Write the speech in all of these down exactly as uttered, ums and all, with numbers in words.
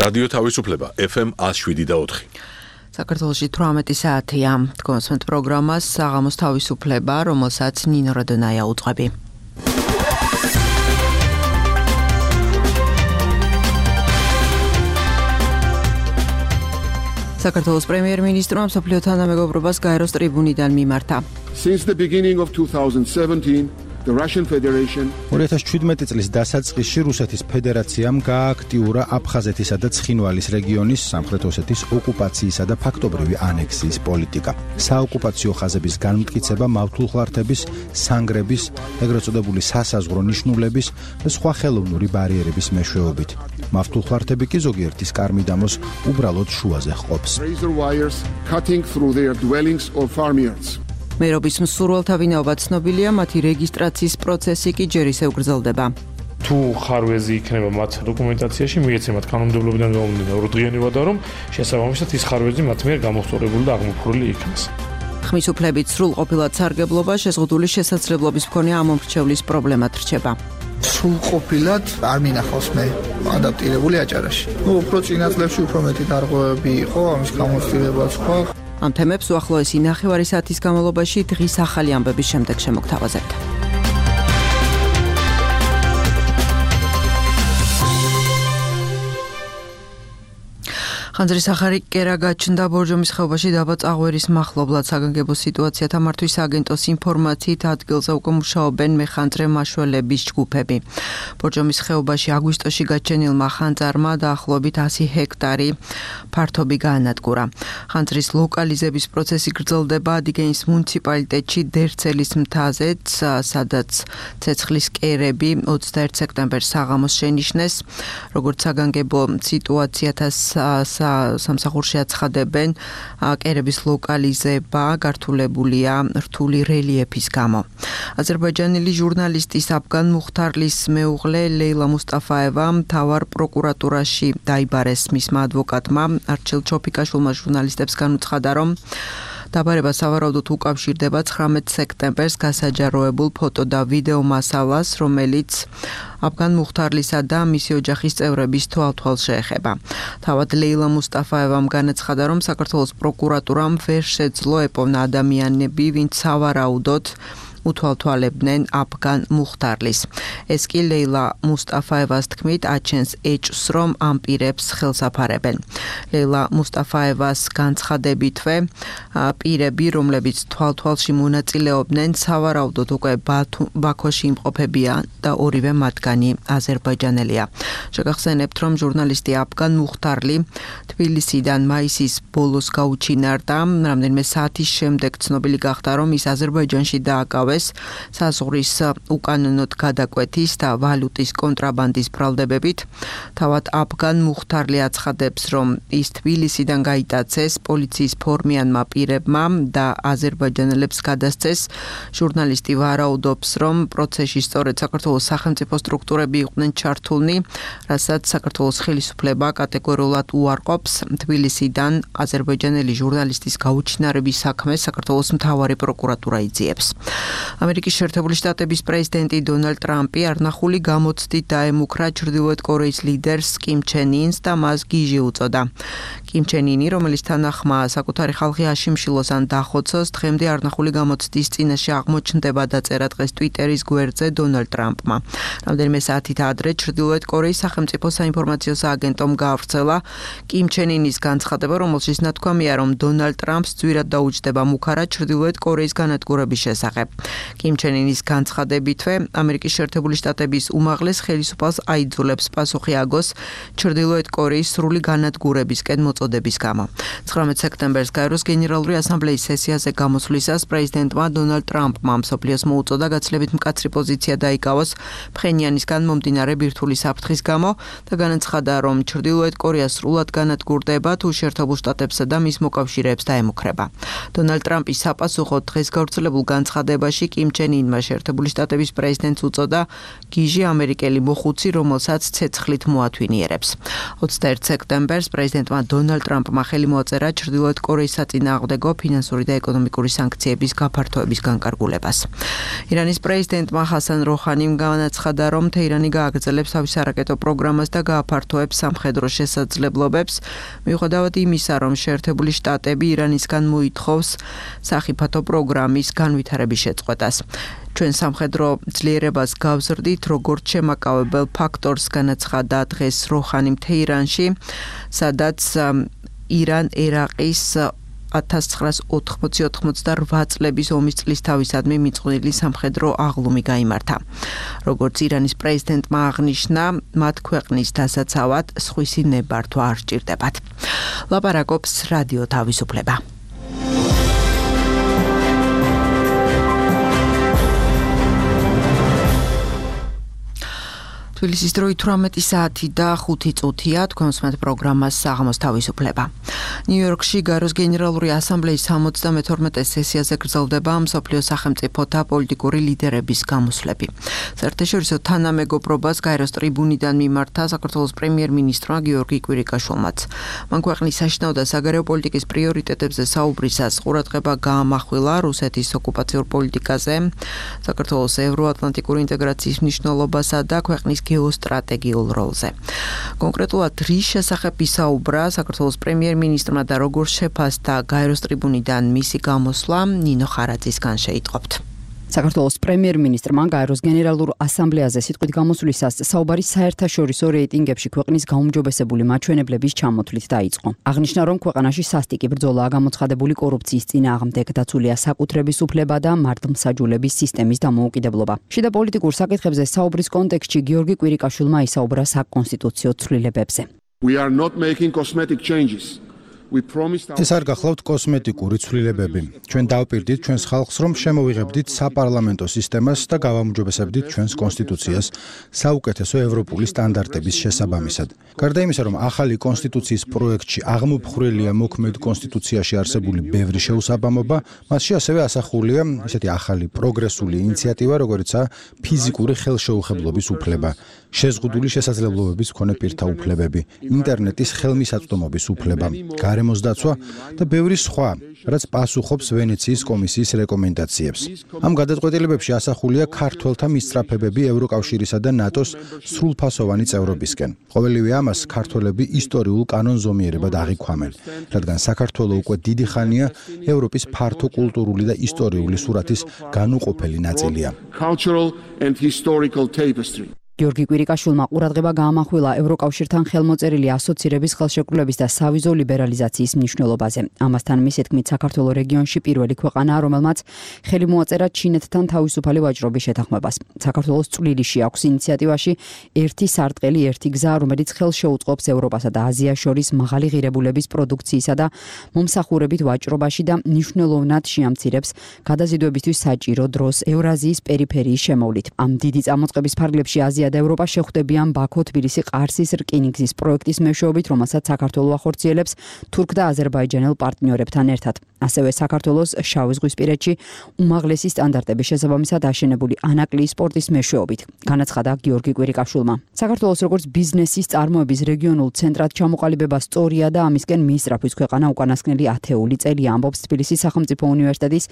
რადიო თავისუფლება ეფ ემ one oh seven და four. საქართველოში თვრამეტი საათია. თქვენს პროგრამას საღამოს თავისუფლება, რომელსაც ნინო რადონაია უძღვები. საქართველოს პრემიერ-მინისტრმა მსოფლიო თანამეგობრობას გაეროს ტრიბუნიდან მიმართა. Since the beginning of two thousand seventeen, the Russian Federation two thousand seventeen წლის დასაწყისში რუსეთის ფედერაციამ გააქტიურა აფხაზეთისა და ცხინვალის რეგიონის სამხრეთ ოსეთის ოკუპაციისა და ფაქტობრივი ანექსიის პოლიტიკა. საოკუპაციო ხაზების განმტკიცება მავთულხლართების, სანგრების, ეგრეთ წოდებული სასაზღვრო ნიშნულების და სხვა ხელოვნური ბარიერების მეშვეობით. მავთულხლართები კი ზოგიერთის კარმიდამოს უბრალოდ შუაზე ჰყოფს. razor wires cutting through their dwellings or farmyards. მერობის მსურველთა ვინაობა ცნობილია, მათი რეგისტრაციის პროცესი კი ჯერ ისევ გრძელდება. თუ ხარვეზი იქნება მათ დოკუმენტაციაში, მიეცემათ კანონმდებლობიდან გამომდინარე ორი დღიანი ვადა, რომ შესაბამისად ის ხარვეზი მათ მიერ გამოხსოვებული და აღმოფხვრილი იქნას. ხმის უფლებით სრულყოფილად სარგებლობა შეზღუდული შესაძლებლობის მქონე ამომრჩევლის პრობლემად რჩება. სრულყოფილად არ მინახავს მე ადაპტირებული აჭარაში. ნუ უფრო წინა წლებში უფრო მეტი დარღვევები იყო, ამის გამოცდილებაც ხო. ამ თემებს უახლოესი ნახევარი საათის განმავლობაში დღის ახალი ამბების შემდეგ შემოგთავაზებთ. ხანძრის ახალი კერა გაჩნდა ბორჯომის ხეობაში დაბა წაღვერის მახლობლად. საგანგებო სიტუაციათა მართვის აგენტოს ინფორმაციით ადგილზე უკვე მუშაობენ მეხანძრე მაშველების ჯგუფები. ბორჯომის ხეობაში აგვისტოში გაჩენილმა ხანძარმა დაახლოებით one hundred ჰექტარი ფართობი გაანადგურა. ხანძრის ლოკალიზების პროცესი გრძელდება ადიგენის მუნიციპალიტეტში დერცელის მთაზეც, სადაც ცეცხლის კერები twenty-first სექტემბერს საღამოს შენიშნეს. როგორც საგანგებო სიტუაციათა სამსახურში აცხადებენ, კერების ლოკალიზება გართულებულია რთული რელიეფის გამო. აზერბაიჯანელი ჟურნალისტის აფგან მუხთარლის მეუღლე ლეილა მუსტაფაევა მთავარ პროკურატურაში დაიბარეს. მისმა ადვოკატმა არჩილ ჩოფიკაშვილმა ჟურნალისტებს განუცხადა, რომ დაბარება სავარაუდოდ უკავშირდება nineteen სექტემბერს გასაჯაროებულ ფოტო და ვიდეო მასალას, რომელიც აფგან მუხთარლისა და მისი ოჯახის წევრების თვალთვალს შეეხება. თავად ლეილა მუსტაფაევამ განაცხადა, რომ საქართველოს პროკურატურამ ვერ შეძლო ეპოვნა ადამიანები, ვინც სავარაუდოდ უთვალთვალებდნენ აფგან მუხთარლის. ეს კი ლეილა მუსტაფაევას თქმით აჩენს ეჭვს, რომ ამ პირებს ხელს აფარებენ. ლეილა მუსტაფაევას განცხადებითვე პირები, რომლებიც თვალთვალში მონაწილეობდნენ, სავარაუდოდ უკვე ბაქოში იმყოფებიან და ორივე მათგანი აზერბაიჯანელია. შეგახსენებთ, რომ ჟურნალისტი აფგან მუხთარლი თბილისიდან მაისის ბოლოს გაუჩინარდა. რამდენიმე საათის შემდეგ ცნობილი გახდა, რომ ის აზერბაიჯანში დააკავეს საზღვრის უკანონოდ გადაკვეთის და ვალუტის კონტრაბანდის ბრალდებებით. თავად აფგან მუხთარლი აცხადებს, რომ ის თბილისიდან გაიტაცეს პოლიციის ფორმიანმა პირებმა და აზერბაიჯანელებს გადასცეს. ჟურნალისტი ვარაუდობს, რომ პროცესში სწორედ საქართველოს სახელმწიფო სტრუქტურები იყვნენ ჩართულნი, რასაც საქართველოს ხელისუფლება კატეგორიულად უარყოფს. თბილისიდან აზერბაიჯანელი ჟურნალისტის გაუჩინარების საქმეს საქართველოს მთავარი პროკურატურა იძიებს. ამერიკის შეერთებული შტატების პრეზიდენტი დონალდ ტრამპი არნახული გამოცდით დაემუქრა ჩრდილოეთ კორეის ლიდერს კიმ ჩენ ინს და მას გიჟი უწოდა. კიმ ჩენ ინი, რომელიც თანახმა საკუთარი ხალხი აშიმშილოს ან დახოცოს, დღემდე არნახული გამოცდის წინაშე აღმოჩნდება დაწერა დღეს ტვიტერის გვერდზე დონალდ ტრამპმა. რამდენიმე საათით ადრე ჩრდილოეთ კორეის სახელმწიფო საინფორმაციო სააგენტომ გაავრცელა კიმ ჩენ ინის განცხადება, რომელშიც ნათქვამია, რომ დონალდ ტრამპს ძვირად დაუჯდება მუქარა ჩრდილოეთ კორეის განადგურების შესახებ. კიმ ჩენ ინის განცხადებითვე, ამერიკის შეერთებული შტატების უმაღლეს ხელისუფალს აიძულებს პასუხი აგოს ჩრდილოეთ კორეის სრული განადგურებისკენ მოწოდების გამო. nineteen სექტემბერს გაეროს გენერალური ასამბლეის სესიაზე გამოსვლისას პრეზიდენტმა დონალდ ტრამპმა მსოფლიოს მოუწოდა გაცილებით მკაცრი პოზიცია დაიკავოს ფხენიანისგან მომდინარე ბირთვული საფრთხის გამო და განაცხადა, რომ ჩრდილოეთ კორეა სრულად განადგურდება თუ შეერთებულ შტატებსა და მის მოკავშირეებს დაემუქრება. დონალდ ტრამპის საპასუხოდ დღეს გავრცელებულ განცხადებაში ბერლინში კიმ ჩენ ინმა შეერთებული შტატების პრეზიდენტს უწოდა გიჟი ამერიკელი მოხუცი, რომელსაც ცეცხლით მოათვინიერებს. ოცდაერთი სექტემბერს პრეზიდენტმა დონალდ ტრამპმა ხელი მოაწერა ჩრდილოეთ კორეის საწინააღმდეგო ფინანსური და ეკონომიკური სანქციების გაფართოების განკარგულებას. ირანის პრეზიდენტმა ჰასან როჰანიმ განაცხადა, რომ თეირანი გააგრძელებს თავის არაკეტო პროგრამას და გააფართოებს სამხედრო შესაძლებლობებს, მიუხედავად იმისა, რომ შეერთებული შტატები ირანისგან მოითხოვს სახიფათო პროგრამის განვითარების შეწყვეტას. ჩვენ სამხედრო ძლიერებას გავზრდით, როგორც შემაკავებელ ფაქტორს განაცხადა დღეს როჰანიმ თეირანში, სადაც ირან-ერაყის ათას ცხრაას ოთხმოცი ოცდაოთხ წლების ომის წლის თავისადმი მიწყვნილი სამხედრო აღლუმი გაიმართა. როგორც ირანის პრეზიდენტმა აღნიშნა, მათ ქვეყნის დასაცავად სხვისი ნებართვა არ სჭირდებათ. ლაპარაკობს რადიო თავისუფლება. თბილისის დრო თვრამეტი საათი და ხუთი წუთია, თქვენ უსმენთ პროგრამას საღამოს თავისუფლება. ნიუ-იორკში გაეროს გენერალური ასამბლეის სამოცდამეთორმეტე სესიაზე გრძელდება მსოფლიო სახელმწიფოთა პოლიტიკური ლიდერების გამოსვლები. საერთაშორისო თანამეგობრობას გაეროს ტრიბუნიდან მიმართა საქართველოს პრემიერ-მინისტრმა გიორგი კვირიკაშვილმაც. მან ქვეყნის საშინაო და საგარეო პოლიტიკის პრიორიტეტებზე საუბრისას ყურადღება გაამახვილა რუსეთის ოკუპაციურ პოლიტიკაზე, საქართველოს ევროატლანტიკური ინტეგრაციის მნიშვნელობასა და ქვეყნის გეოსტრატეგიულ როლზე. კონკრეტულად რის შესახებ ისაუბრა საქართველოს პრემიერ-მინისტრმა და როგორ შეფასდა გაეროს ტრიბუნიდან მისი გამოსვლა, ნინო ხარაძისგან შეიტყობთ. საქართველოს პრემიერ-მინისტრმა გაეროს გენერალურ ასამბლეაზე სიტყვით გამოსვლისას საუბარი საერთაშორისო რეიტინგებში ქვეყნის გაუმჯობესებული მაჩვენებლების ჩამოთვლით დაიწყო. აღნიშნა, რომ ქვეყანაში სასტიკი ბრძოლაა გამოცხადებული კორუფციის წინააღმდეგ, დაცულია საკუთრების უფლება და მართლმსაჯულების სისტემის დამოუკიდებლობა. შიდა პოლიტიკურ საკითხებზე საუბრის კონტექსტში გიორგი კვირიკაშვილმა ისაუბრა საკონსტიტუციო ცვლილებებზე. We are not making cosmetic changes. ეს არ გახლავთ კოსმეტიკური ცვლილებები. ჩვენ დავპირდით ჩვენს ხალხს, რომ შემოვიღებდით საპარლამენტო სისტემას და გავაუმჯობესებდით ჩვენს კონსტიტუციას საუკეთესო ევროპული სტანდარტების შესაბამისად. გარდა იმისა, რომ ახალი კონსტიტუციის პროექტში აღმოფხვრილია მოქმედ კონსტიტუციაში არსებული ბევრი შეუსაბამობა, მასში ასევე ასახულია ისეთი ახალი პროგრესული ინიციატივა, როგორიცაა ფიზიკური ხელშეუხებლობის უფლება, შეზღუდული შესაძლებლობების მქონე პირთა უფლებები, ინტერნეტის ხელმისაწვდომობის უფლება, გარემოს დაცვა და ბევრი სხვა, რაც პასუხობს ვენეციის კომისიის რეკომენდაციებს. ამ გადაწყვეტილებებში ასახულია ქართველთა მისწრაფებები ევროკავშირისა და ნატოს სრულფასოვანი წევრობისკენ. ყოველივე ამას ქართველები ისტორიულ კანონზომიერებად აღიქვამენ, რადგან საქართველო უკვე დიდი ხანია ევროპის ფართო კულტურული და ისტორიული სურათის განუყოფელი ნაწილია. Cultural and historical tapestry. გიორგი კვირიკაშვილმა ყურადღება გაამახვილა ევროკავშირთან ხელმოწერილი ასოცირების ხელშეკრულების და სავიზო ლიბერალიზაციის მნიშვნელობაზე. ამასთან მისი თქმით, საქართველო რეგიონში პირველი ქვეყანაა, რომელმაც ხელი მოაწერა ჩინეთთან თავისუფალი ვაჭრობის შეთანხმებას. საქართველოს წვლილში აქვს ინიციატივაში ერთი სარტყელი, ერთი გზა, რომელიც ხელშეუწყობს ევროპასა და აზიას შორის მაღალი ღირებულების პროდუქციისა და მომსახურებით ვაჭრობაში და მნიშვნელოვნად შეამცირებს გადაზიდვებისთვის საჭირო დროს ევრაზიის პერიფერიის შემოვლით. ამ დიდი წამოწყების ფარგლებში აზია და ევროპა შეხვდებიან ბაქო, თბილისი, ყარსის რკინიგზის პროექტის მეშვეობით, რომელსაც საქართველო ახორციელებს თურქ და აზერბაიჯანელ პარტნიორებთან ერთად. ასევე საქართველოს შავიზღვისპირეთში უმაღლესი სტანდარტების შესაბამისად აშენებული ანაკლიის სპორტის მეშვეობით, განაცხადა გიორგი კვირიკაშვილმა. საქართველოს როგორც ბიზნესის წარმოების რეგიონულ ცენტრად ჩამოყალიბება სწორია და ამისკენ მიისწრაფვის ქვეყანა უკანასკნელი ათეული წელია, ამბობს თბილისის სახელმწიფო უნივერსიტეტის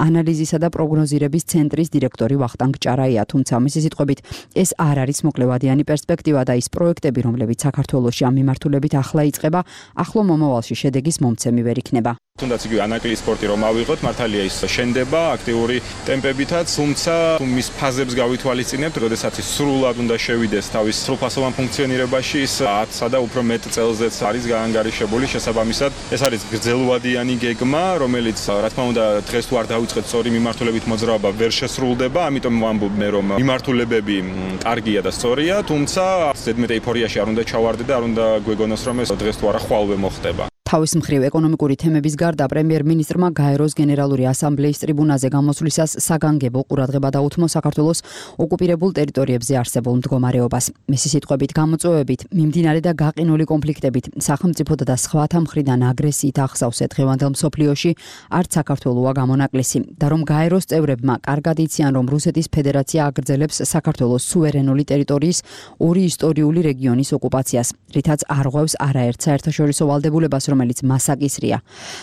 ანალიზისა და პროგნოზირების ცენტრის დირექტორი ვახტანგ ჭარაია, თუმცა მისი სიტყვებით ეს არ არის მოკლევადიანი პერსპექტივა და ის პროექტები, რომლებიც საქართველოში ამ მიმართულებით ახლა იწყება, ახლო მომავალში შედეგის მომცემი ვერ იქნება. თუნდაც იგივე ანაკლიის სპორტი რომ ავიღოთ, მართალია ის შენდება აქტიური ტემპებითაც, თუმცა მის ფაზებს გავითვალისწინებთ, როდესაც ის სრულად უნდა შევიდეს თავის სრულფასოვან ფუნქციონირებაში, ის ათსა და უფრო მეტ წელზეც არის გაანგარიშებული. შესაბამისად, ეს არის გრძელვადიანი გეგმა, რომელიც რა თქმა უნდა დღეს თუ არ დავიწყეთ სწორი მიმართულებით მოძრაობა, ვერ შესრულდება, ამიტომ ვამბობ მე რომ მიმართულებები კარგია და სწორია, თუმცა ზედმეტ ეიფორიაში არ უნდა ჩავარდე და არ უნდა გვეგონოს რომ ეს დღეს თუ არა ხვალვე მოხდება. თავის მხრივ ეკონომიკური თემების გარდა პრემიერ-მინისტრმა გაეროს გენერალური ასამბლეის ტრიბუნაზე გამოსვლისას საგანგებო ყურადღება დაუთმო საქართველოს ოკუპირებულ ტერიტორიებზე არსებულ მდგომარეობას. მისი სიტყვებით, გამოწვევებით, მიმდინარე და გაყინული კონფლიქტებით, სახელმწიფოთა და სხვათა მხრიდან აგრესიით ახსავსე დღევანდელ მსოფლიოში არც საქართველოა გამონაკლისი და რომ გაეროს წევრებმა კარგად იციან, რომ რუსეთის ფედერაცია აგრძელებს საქართველოს სუვერენული ტერიტორიის ორი ისტორიული რეგიონის ოკუპაციას, რითაც არღვევს არაერთ საერთაშორისო ვალდებულებას, რომელიც მას აკისრია.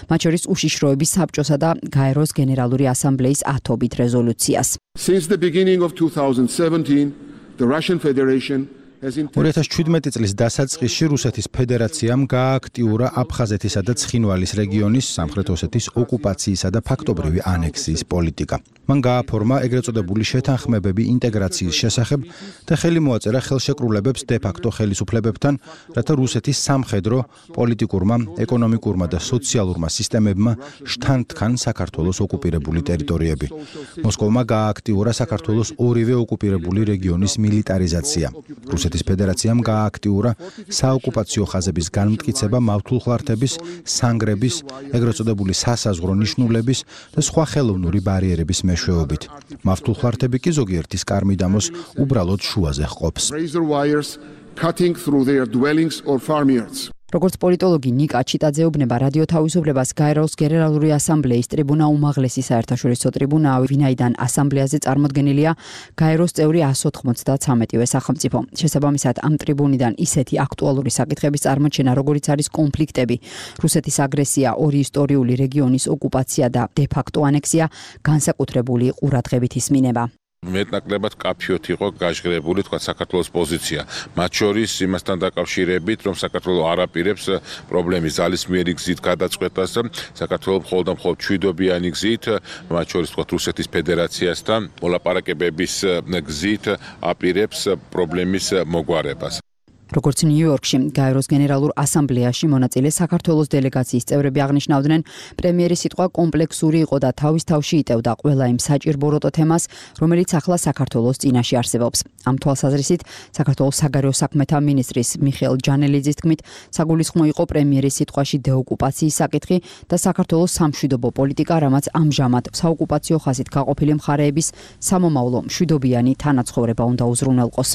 მათ შორის უშიშროების საბჭოსა და გაეროს გენერალური ასამბლეის ათობით რეზოლუციას. Since the beginning of two thousand seventeen, the Russian Federation ორი ათას შვიდმეტი წლის დასაწყისში რუსეთის ფედერაციამ გაააქტიურა აფხაზეთისა და ცხინვალის რეგიონის სამხრეთ ოსეთის ოკუპაციისა და ფაქტობრივი ანექსიის პოლიტიკა. მან გააფორმა ეგრეთ წოდებული შეთანხმებები ინტეგრაციის შესახებ და ხელი მოაწერა ხელშეკრულებებს დე-ფაქტო ხელისუფლებებთან, რათა რუსეთის სამხედრო, პოლიტიკურმა, ეკონომიკურმა და სოციალურმა სისტემებმა შთანთქან საქართველოს ოკუპირებული ტერიტორიები. მოსკოვმა გაააქტიურა საქართველოს ორივე ოკუპირებული რეგიონის მილიტარიზაცია. რუსეთის ფედერაციამ გაააქტიურა საოკუპაციო ხაზების განმტკიცება მავთულხლართების, სანგრების, ეგრეთ წოდებული სასაზღვრო ნიშნულების და სხვა ხელოვნური ბარიერების მეშვეობით. მავთულხლართები კი ზოგიერთის კარმიდამოს უბრალოდ შუაზე ჰყოფს. razor wires cutting through their dwellings or farmyards. როგორც პოლიტოლოგი ნიკა ჩიტაძეუბნება, რადიო თავისუფლებას გაეროს გენერალური ასამბლეის ტრიბუნა უმაღლესი საერთაშორისო ტრიბუნაა, ვინაიდან ასამბლეაზე წარმოდგენილია გაეროს წევრი εκατს ოთხმოცდათრამეტივე სახელმწიფო. შესაბამისად, ამ ტრიბუნიდან ისეთი აქტუალური საკითხების წარმოჩენა, როგორიც არის კონფლიქტები, რუსეთის აგრესია, ორი ისტორიული რეგიონის ოკუპაცია და დე-ფაქტო ანექსია, განსაკუთრებული ყურადღებით ისმინება. მეტნაკლებად კაფიოთ იყო გაჟღერებული თქვა საქართველოს პოზიცია. მათ შორის იმასთან დაკავშირებით, რომ საქართველოს არ აპირებს პრობლემის ძალისმიერი გზით გადაწყვეტას, საქართველოს მხოლოდ და მხოლოდ მშვიდობიანი გზით, მათ შორის თქვა რუსეთის ფედერაციასთან მოლაპარაკებების გზით აპირებს პრობლემის მოგვარებას. როგორც ნიუ-იორკში გაეროს გენერალურ ასამბლეაში მონაწილე საქართველოს დელეგაციის წევრები აღნიშნავდნენ, პრემიერის სიტყვა კომპლექსური იყო და თავის თავში იტევდა ყველა იმ საჭირბოროტო თემას, რომელიც ახლა საქართველოს წინაშე არსებობს. ამ თვალსაზრისით, საქართველოს საგარეო საქმეთა მინისტრის მიხეილ ჯანელიძის თქმით, საგულისხმო იყო პრემიერის სიტყვაში დეოკუპაციის საკითხი და საქართველოს სამშვიდობო პოლიტიკა, რამაც ამჟამად საოკუპაციო ხაზით გაყოფილი მხარეების სამომავლო მშვიდობიანი თანაცხოვრება უნდა უზრუნველყოს.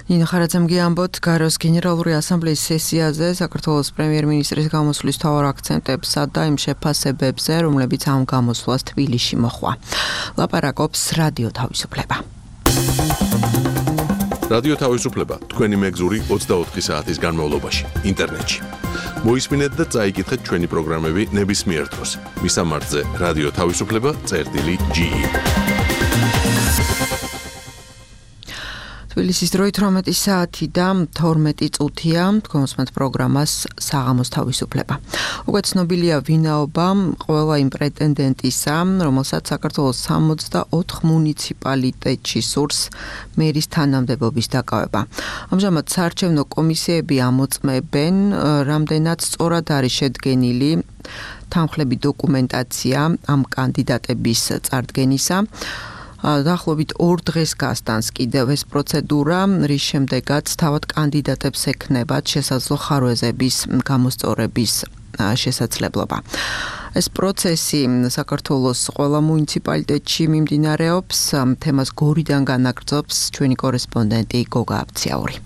ნინო ხარაძემ გიამბოთ გაეროს გენერალური ასამბლეის სესიაზე საქართველოს პრემიერ-მინისტრის გამოსვლის მთავარ აქცენტებსა და იმ შეფასებებზე, რომლებიც ამ გამოსვლას თბილისში მოჰყვა. ლაპარაკობს რადიო თავისუფლება. რადიო თავისუფლება თქვენი მეგზური ოცდაოთხი საათის განმავლობაში ინტერნეტში. მოისმინეთ და წაიკითხეთ ჩვენი პროგრამები ნებისმიერ დროს. მისამართზე რადიო თავისუფლება წერტილი ჯი ი. თბილისის დროით ორმეტი საათი და თორმეტი წუთია, თქვენსმენთ პროგრამას საღამოს თავისუფლება. უკვე ცნობილია ვინაობა ყველა იმ პრეტენდენტისა, რომელსაც საქართველოს სამოცდაოთხ მუნიციპალიტეტში სურს მერის თანამდებობის დაკავება. ამჟამად საარჩევნო კომისიები ამოწმებენ, რამდენად სწორად არის შედგენილი თანხლები დოკუმენტაცია ამ კანდიდატების წარდგენისა. დაახლოებით ორ დღეს გასტანს კიდევ ეს პროცედურა, რის შემდეგაც თავად კანდიდატებს ექნებათ შესაძლო ხარვეზების გამოსწორების შესაძლებლობა. ეს პროცესი საქართველოს ყველა მუნიციპალიტეტში მიმდინარეობს, თემას გორიდან განაგრძობს ჩვენი კორესპონდენტი გოგა აბციაური.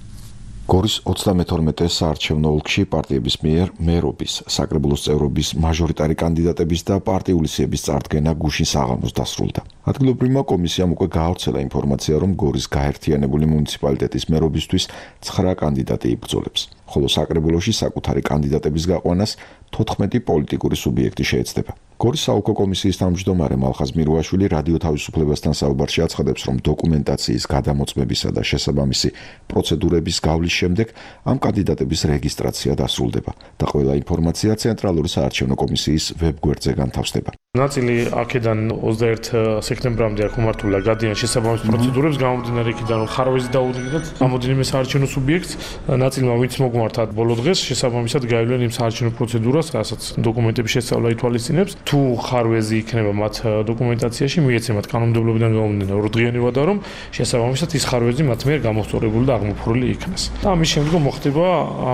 გორის ოცდამეთორმეტე საარჩევნო ოლქში პარტიების მიერ მერობის, საკრებულოს წევრობის, მაჟორიტარი კანდიდატების და პარტიული სიების წარდგენა გუშინ საღამოს დასრულდა. ადგილობრივმა კომისიამ უკვე გაავრცელა ინფორმაცია, რომ გორის გაერთიანებული მუნიციპალიტეტის მერობისთვის ცხრა კანდიდატი იბრძოლებს, ხოლო საკრებულოში საკუთარი კანდიდატების გაყვანას თოთხმეტი პოლიტიკური სუბიექტი შეეცდება. გორის საოლქო კომისიის თავმჯდომარე მალხაზ მირუაშვილი რადიო თავისუფლებასთან საუბარში აცხადებს, რომ დოკუმენტაციის გადამოწმებისა და შესაბამისი პროცედურების გავლის შემდეგ ამ კანდიდატების რეგისტრაცია დასრულდება და ყველა ინფორმაცია ცენტრალური საარჩევნო კომისიის ვებგვერდზე განთავსდება. ნაწილი აქედან ოცდაერთ სექტემბრამდე აქ უმართულა გადიან შესაბამის პროცედურებს, გამომდინარე იქიდან რომ ხარვეზი დაუდგინოთ რამოდენიმე საარჩევნო სუბიექტს, ნაწილმა ვინც დაგმართათ ბოლო დღეს შესაბამისად გაივლენ იმ საარჩევნო პროცედურას, რასაც დოკუმენტების შესწავლა ითვალისწინებს. თუ ხარვეზი იქნება მათ დოკუმენტაციაში, მიეცემათ კანონმდებლობიდან გამომდინარე ორდღიანებად, რომ შესაბამისად ის ხარვეზი მათ მიერ გამოსწორებული და აღმოფხვრილი იქნას. და ამის შემდგომ მოხდება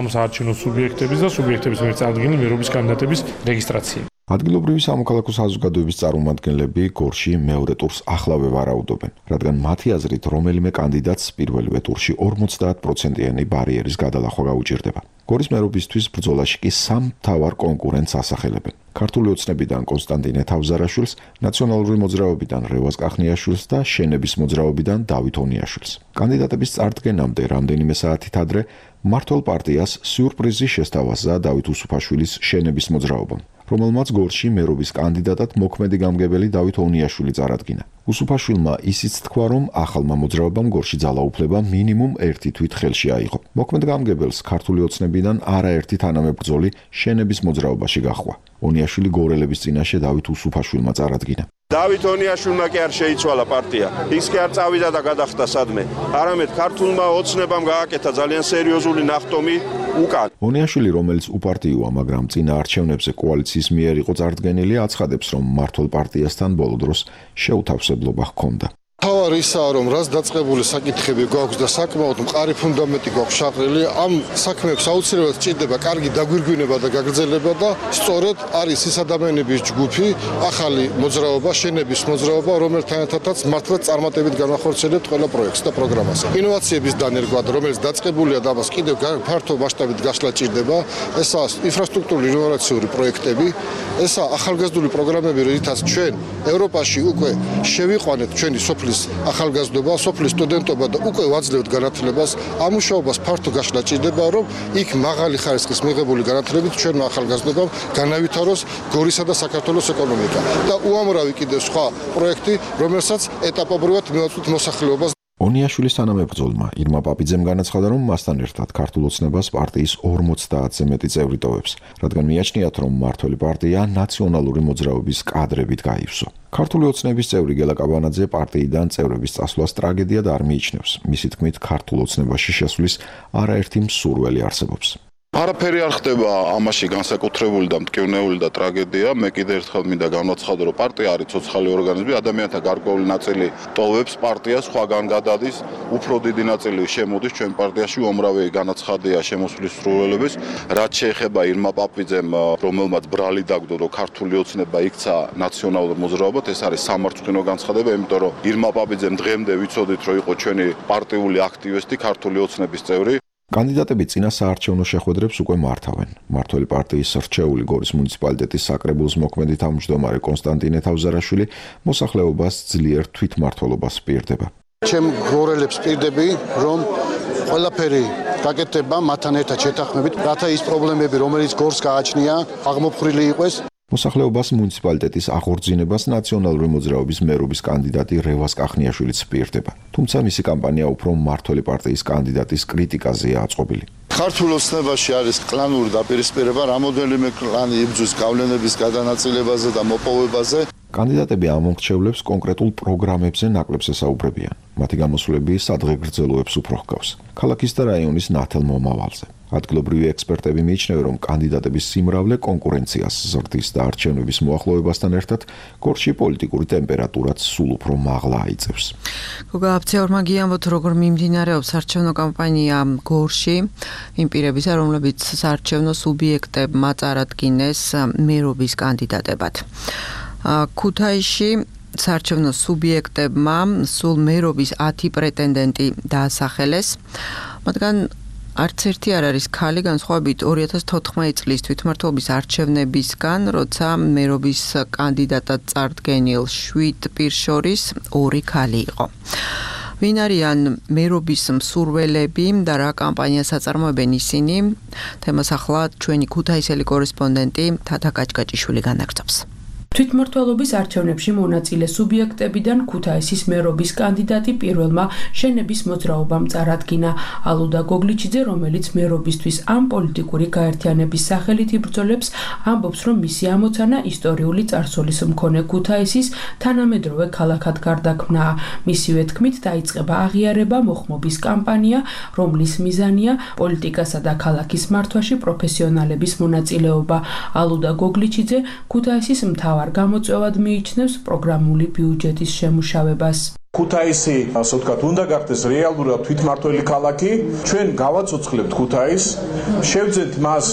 ამ საარჩევნო სუბიექტების და სუბიექტების მიერ წარდგენილი მერობის კანდიდატების რეგისტრაცია. ადგილობრივი სამოქალაქო საზოგადოების წარმომადგენლები გორში მეორე ტურს ახლავე ვარაუდობენ, რადგან მათი აზრით რომელიმე კანდიდატს პირველივე ტურში ორმოცდაათ პროცენტიანი ბარიერის გადალახვა გაუჭირდება. გორის მერობისთვის ბრძოლაში კი სამ მთავარ კონკურენტს ასახელებენ. ქართული ოცნებიდან კონსტანტინე თავზარაშვილს, ნაციონალური მოძრაობიდან რევაზ კახნიაშვილს და შენების მოძრაობიდან დავით ონიაშვილს. კანდიდატების წარდგენამდე რამდენიმე საათით ადრე მმართველ პარტიას სიურპრიზი შესთავაზა დავით უსუფაშვილის შენების მოძრაობამ, რომელმაც გორში მერობის კანდიდატად მოქმედი გამგებელი დავით ონიაშვილი წარადგინა. უსუფაშვილმა ისიც თქვა, რომ ახალმა მოძრაობამ გორში ძალაუფლება მინიმუმ ერთი თვით ხელში აიღო. მოქმედ გამგებელს ქართული ოცნებიდან არაერთი თანამებრძოლი შენების მოძრაობაში გაჰყვა. ონიაშვილი გორელების წინაშე დავით უსუფაშვილმა წარადგინა. დავით ონიაშვილმა კი არ შეიცვალა პარტია. ის კი არ წავიდა და გადახდა სადმე. არამედ ქართულმა ოცნებამ გააკეთა ძალიან სერიოზული ნახტომი უკან. ონიაშვილი, რომელიც უპარტიოა, მაგრამ წინა არჩევნებზე კოალიციის მიერ იყო წარდგენილი, აცხადებს, რომ მმართველ პარტიასთან ბოლო დროს შეუთავსებლობა ჰქონდა. თავარი ისაა, რომ რაც დაწყებული საკითხები გვაქვს და საკმაოდ მყარი ფუნდამენტი გვაქვს შაღრილი, ამ საქმეებს აუცილებლად სჭირდება კარგი დაგვირგვინება და გაგრძელება და სწორედ არის ის ადამიანების ჯგუფი, ახალი მოძრაობა, შენების მოძრაობა, რომელთანაც მართლაც წარმატებით განახორციელებთ ყველა პროექტს და პროგრამას. ინოვაციების დანერგვად, რომელიც დაწყებულია და ამას კიდევ ფართო მასშტაბით გასვლა სჭირდება, ესაა ინფრასტრუქტურული ინოვაციური პროექტები, ესაა ახალგაზრდული პროგრამები, რითაც ჩვენ ევროპაში უკვე შევიყვანეთ ჩვენი სოფლის ახალგაზრდობა, სოფლის სტუდენტობა და უკვე ვაძლევთ განათლებას. ამ მუშაობას ფართო გაშლა ჭირდება, რომ იქ მაღალი ხარისხის მიღებული განათლებით ჩვენმა ახალგაზრდებამ განავითაროს გორისა და საქართველოს ეკონომიკა. და უამრავი კიდევ სხვა პროექტი, რომელსაც ეტაპობრივად მივაწვდით მოსახლეობას. ონიაშვილის თანამებრძოლმა ირმა პაპიძემ განაცხადა, რომ მასთან ერთად ქართულ ოცნებას პარტიის ორმოცდაათზე მეტი წევრი ტოვებს, რადგან მიაჩნიათ, რომ მმართველი პარტია ნაციონალური მოძრაობის კადრებით გაივსო. ქართული ოცნების წევრი გელა კაბანაძე პარტიიდან წევრების წასვლას ტრაგედიად არ მიიჩნევს. მისი თქმით, ქართულ ოცნებაში შესვლის არაერთი მსურველი არსებობს. არაფერი არ ხდება ამაში განსაკუთრებული და მტკივნეული და ტრაგედია. მე კიდევ ერთხელ მინდა განვაცხადო, რომ პარტია არის ცოცხალი ორგანიზმი, ადამიანთა გარკვეული ნაწილი ტოვებს პარტიას, სხვაგან გადადის, უფრო დიდი ნაწილი შემოდის ჩვენ პარტიაში, უამრავი განაცხადია შემოსვლის სრულელების. რაც შეეხება ირმა პაპიძემ, რომელმაც ბრალი დაგდო, რომ ქართული ოცნება იქცა ნაციონალურ მოძრაობად, ეს არის სამარცხვინო განცხადება, იმიტომ რომ ირმა პაპიძემ დღემდე ვიცოდით, რომ იყო ჩვენი პარტიული აქტივისტი, ქართული ოცნების წევრი. კანდიდატები წინა საარჩევნო შეხვედრებს უკვე მართავენ. მმართველი პარტიის რჩეული გორის მუნიციპალიტეტის საკრებულოს მოქმედი თავმჯდომარე კონსტანტინე თავზარაშვილი მოსახლეობას ძლიერ თვითმმართველობას პირდება. ჩემ გორელებს პირდები, რომ ყველაფერი გაკეთება მათთან ერთად შეთანხმებით, რათა ის პრობლემები, რომელიც გორს გააჩნია, აღმოფხვრილი იყოს. მოსახლეობას მუნიციპალიტეტის აღორძინებას ნაციონალური მოძრაობის მერობის კანდიდატი რევაზ კახნიაშვილიც პირდება. თუმცა მისი კამპანია უფრო მმართველი პარტიის კანდიდატის კრიტიკაზეა აწყობილი. ქართულ ოცნებაში არის კლანური დაპირისპირება, რამოდენიმე კლანი იბრძვის გავლენების გადანაწილებაზე და მოპოვებაზე. კანდიდატები ამ მომრჩევლებს კონკრეტულ პროგრამებზე ნაკლებს ესაუბრებიან. მათი გამოსვლები სადღეგრძელოებს უფრო ჰგავს. ქალაქის და რაიონის ნათელ მომავალზე. ადგილობრივი ექსპერტები მიიჩნევენ, რომ კანდიდატების სიმრავლე კონკურენციას ზრდის და არჩევნების მოახლოებასთან ერთად გორში პოლიტიკური ტემპერატურაც სულ უფრო მაღლა აიწევს. გოგა აფცეორმა გიამბოთ, როგორ მიმდინარეობს არჩევნო კამპანია გორში, იმ პირებისა, რომლებიც საარჩევნო სუბიექტებმა წარადგინეს მერობის კანდიდატებად. ქუთაისში საარჩევნო სუბიექტებმა სულ მერობის ათი პრეტენდენტი დაასახელეს, მათგან არც ერთი არ არის ქალი, განსხვავებით ორი ათას თოთხმეტი წლის თვითმმართველობის არჩევნებისგან, როცა მერობის კანდიდატად წარდგენილ შვიდ პირს შორის ორი ქალი იყო. ვინ არიან მერობის მსურველები და რა კამპანიას აწარმოებენ ისინი? თემას ახლა ჩვენი ქუთაისელი კორესპონდენტი თათა კაჭკაჭიშვილი განაგრძობს. თვითმმართველობის არჩევნებში მონაწილე სუბიექტებიდან ქუთაისის მერობის კანდიდატი პირველმა შენების მოძრაობამ წარადგინა. ალუდა გოგლიჩიძე, რომელიც მერობისთვის ამ პოლიტიკური გაერთიანების სახელით იბრძოლებს, ამბობს, რომ მისი ამოცანა ისტორიული წარსულის მქონე ქუთაისის თანამედროვე ქალაქად გარდაქმნაა. მისივე თქმით, დაიწყება აღიარება მოხმობის კამპანია, რომლის მიზანია პოლიტიკასა და ქალაქის მართვაში პროფესიონალების მონაწილეობა. ალუდა გოგლიჩიძე ქუთაისის მთავარ გამოწვევად მიიჩნევს პროგრამული ბიუჯეტის შემუშავებას. ქუთაისი, ასე ვთქვათ, უნდა გახდეს რეალურად თვითმმართველი ქალაქი. ჩვენ გავაცოცხლებთ ქუთაისს, შევძენთ მას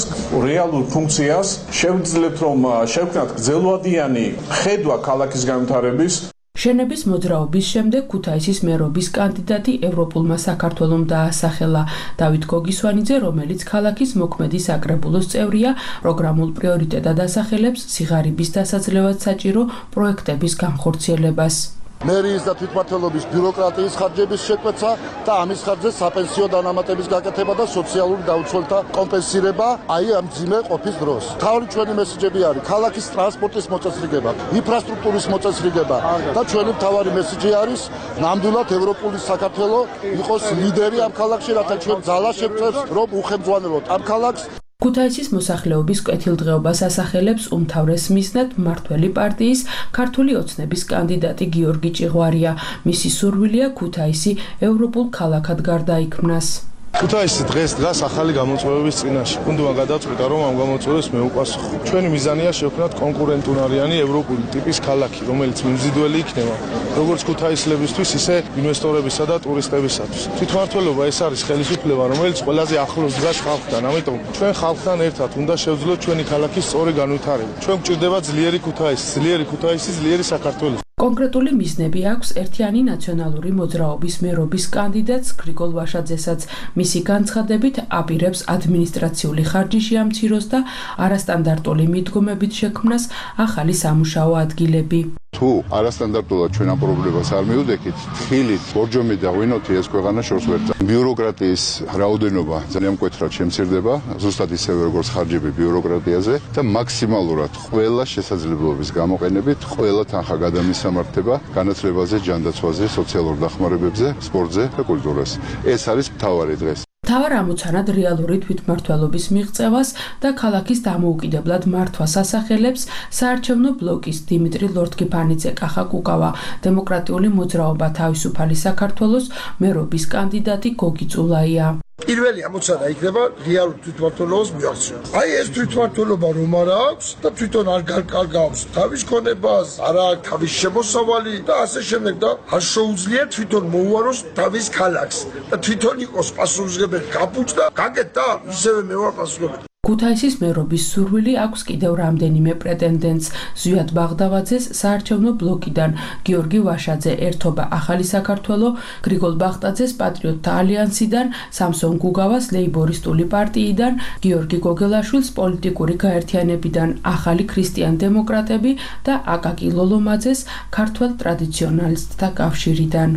რეალურ ფუნქციას, შევძლებთ რომ შევქმნათ გრძელვადიანი ხედვა ქალაქის განვითარების. შენების მოძრაობის შემდეგ ქუთაისის მერობის კანდიდატი ევროპულმა საქართველომ დაასახელა. დავით გოგისვანიძე, რომელიც ქალაქის მოქმედი საკრებულოს წევრია, პროგრამულ პრიორიტეტად ასახელებს სიღარიბის დასაძლევად საჭირო პროექტების განხორციელებას. მერიის და თვითმმართველობის ბიუროკრატიის ხარჯების შეკვეცა და ამის ხარჯზე საპენსიო დანამატების გაკეთება და სოციალური დაუცველთა კომპენსირება აი ამ ძიმე ყოფის დროს. თავი ჩვენი მესიჯები არის ქალაქის ტრანსპორტის მოწესრიგება, ინფრასტრუქტურის მოწესრიგება და ჩვენი მთავარი მესიჯი არის ნამდვილად ევროპული საქართველო იყოს ლიდერი ამ ქალაქში, რათა ჩვენ ძალა შევწევს, რომ უხელმძღვანელოთ ამ ქალაქს. ქუთაისის მოსახლეობის კეთილდღეობას ასახელებს უმთავრეს მიზნად მმართველი პარტიის ქართული ოცნების კანდიდატი გიორგი ჭიღვარია. მისი სურვილია ქუთაისი ევროპულ ქალაქად გარდაიქმნას. ქუთაისი დღეს დგას ახალი გამოწვევების წინაშე. უნდა გადაწყვიტა, რომ ამ გამოწვევებს მეუპასუხო. ჩვენი მიზანია შევქმნათ კონკურენტუნარიანი ევროპული ტიპის ქალაქი, რომელიც მიმზიდველი იქნება როგორც ქუთაისლებისთვის, ისე ინვესტორებისა და ტურისტებისათვის. თვითმმართველობა ეს არის ხელისუფლება, რომელიც ყველაზე ახლოს დგას ხალხთან, ამიტომ ჩვენ ხალხთან ერთად უნდა შევძლოთ ჩვენი ქალაქის სწორი განვითარება. ჩვენ გვჭირდება ძლიერი ქუთაისი, ძლიერი ქუთაისი, ძლიერი საქართველო. კონკრეტული მიზნები აქვს ერთიანი ნაციონალური მოძრაობის მერობის კანდიდატს გრიგოლ ვაშაძესაც. მისი განცხადებით აპირებს ადმინისტრაციული ხარჯი შეამციროს და არასტანდარტული მიდგომებით შექმნას ახალი სამუშაო ადგილები. თუ არასტანდარტულად ჩვენ ამ პრობლემას არ მივდექით, ხილით, ბორჯომი და ღვინოთი ეს ქვეყანა შორს ვერ წამს. ბიუროკრატიის რაოდენობა ძალიან მკვეთრად შემცირდება, ზუსტად ისევე როგორც ხარჯები ბიუროკრატიაზე და მაქსიმალურად ყველა შესაძლებლობის გამოყენებით ყველა თანხა გადამისამართება განათლებაზე, ჯანდაცვაზე, სოციალურ დახმარებებზე, სპორტზე და კულტურაზე. ეს არის მთავარი დღეს. მთავარ ამოცანად რეალური თვითმმართველობის მიღწევას და ქალაქის დამოუკიდებლად მართვას ასახელებს საარჩევნო ბლოკის დიმიტრი ლორთქიფანიძე კახა კუკავა, დემოკრატიული მოძრაობა თავისუფალი საქართველოს მერობის კანდიდატი გოგი წულაია. პირველი ამოცანა იქნება რეალურ თვითმმართველობას მიაღწიო. აი ეს თვითმმართველობა რომ არ აქვს და თვითონ არ გარკალგავს თავის ქონებას, არ აქვს თავის შემოსავალი და ასე შემდეგ და არ შეუძლია თვითონ მოუაროს თავის ქალაქს და თვითონ იყოს პასუხისმგებელი გაფუჭ და გაკეთდა ისევე მე ვარ პასუხისმგებელი. ქუთაისის მერობის სურვილი აქვს კიდევ რამდენიმე პრეტენდენტს. ზვიად ბაღდავაძეს საარჩევნო ბლოკიდან, გიორგი ვაშაძე ერთობა ახალი საქართველო, გრიგოლ ბახტაძეს პატრიოტთა ალიანსიდან, სამსონ გუგავას ლეიბორისტული პარტიიდან, გიორგი გოგელაშვილს პოლიტიკური გაერთიანებიდან, ახალი ქრისტიან დემოკრატები და აკაკი ლოლომაძეს ქართველ ტრადიციონალისტთა კავშირიდან.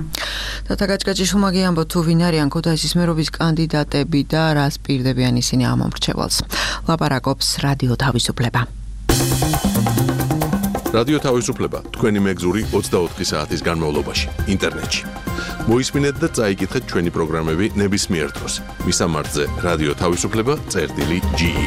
თათა გაჭკაჭიშვილმა გიამბო თუ ვინ არიან ქუთაისის მერობის კანდიდატები და რას პირდებიან ისინი ამ მომრჩევალს. ლაპარაკობს რადიო თავისუფლება. რადიო თავისუფლება თქვენი მეგზური ოცდაოთხი საათის განმავლობაში ინტერნეტში. მოისმინეთ და წაიკითხეთ ჩვენი პროგრამები ნებისმიერ დროს. მისამართზე რადიო თავისუფლება წერტილი ჯი ი.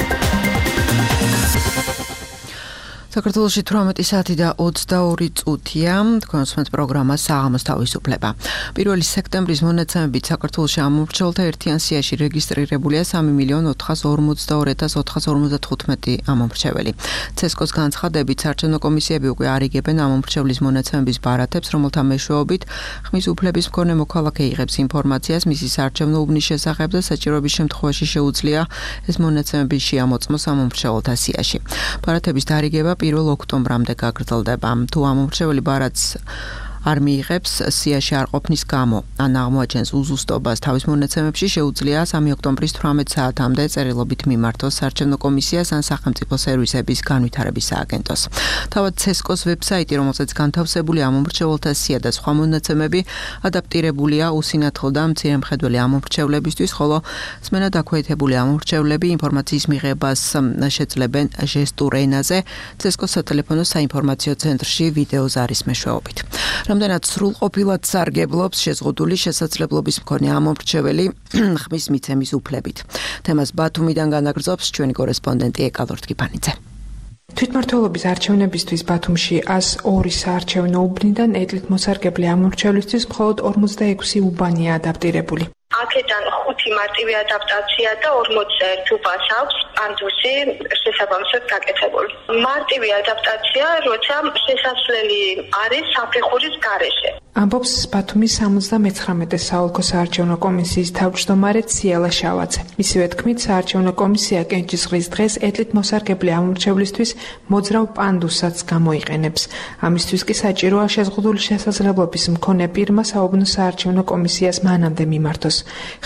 საქართველოში თვრამეტი საათი და ოცდაორი წუთია. თქვენ უსმენთ პროგრამას საღამოს თავისუფლება. პირველი სექტემბრის მონაცემებით საქართველოში ამომრჩეველთა ერთიან სიაში რეგისტრირებულია სამი მილიონი ოთხას ორმოცდაორი ათას ოთხას ორმოცდათხუთმეტი ამომრჩეველი. ცესკოს განცხადებით, საარჩევნო კომისიები უკვე არიგებენ ამომრჩევლის მონაცემების ბარათებს, რომელთა მეშვეობით ხმის უფლების მქონე მოქალაქე იღებს ინფორმაციას მისი საარჩევნო უბნის შესახებ და საჭიროების შემთხვევაში შეუძლია ეს მონაცემები შეამოწმოს ამომრჩეველთა სიაში. ბარათების დარიგება პირველ ოქტომბრამდე გაგრძელდება. თუ ამომრჩეველი ბარათს არ მიიღებს სიაში არ ყოფნის გამო. ან აღმოაჩენს უზუსტობას თავის მონაცემებში, შეუძლია სამი ოქტომბრის თვრამეტ საათამდე წერილობით მიმართოს საარჩევნო კომისიას ან სახელმწიფო სერვისების განვითარების სააგენტოს. თავად ცესკოს ვებსაიტი, რომელზეც განთავსებული ამომრჩეველთა სია და სხვა მონაცემები, ადაპტირებულია უსინათლო და მცირემხედველი ამომრჩევლებისთვის, ხოლო სმენა დაქვეითებული ამომრჩევლები ინფორმაციის მიღებას შეძლებენ ჟესტურ ენაზე, ცესკოს სატელეფონო საინფორმაციო ცენტრში ვიდეო ზარის მეშვეობით. რამდენად სრულყოფილად სარგებლობს შეზღუდული შესაძლებლობის მქონე ამომრჩეველი ხმის მიცემის უფლებით. თემას ბათუმიდან განაგრძობს ჩვენი კორესპონდენტი ეკალორ ტკიფანიძე. თვითმმართველობის არჩევნებისთვის ბათუმში ას ორი საარჩევნო უბნიდან ეტლით მოსარგებლე ამომრჩევლისთვის მხოლოდ ორმოცდაექვსი უბანია ადაპტირებული. აქედან ხუთი მარტივი ადაპტაცია და ორმოცდაერთი უბანს აქვს პანდუსი შესაბამისად გაკეთებული. მარტივი ადაპტაცია, როცა შესასვლელი არის საფეხურის გარეშე. ამბობს ბათუმის სამოცდამეცხრამეტე საოლქო საარჩევნო კომისიის თავმჯდომარე ციალა შავაძე. მისივე თქმით, საარჩევნო კომისია კენჭისყრის დღეს ეტლით მოსარგებლე ამომრჩევლისთვის მოძრავ პანდუსაც გამოიყენებს. ამისთვის კი საჭიროა შეზღუდული შესაძლებლობის მქონე პირმა საუბნო საარჩევნო კომისიას მანამდე მიმართოს.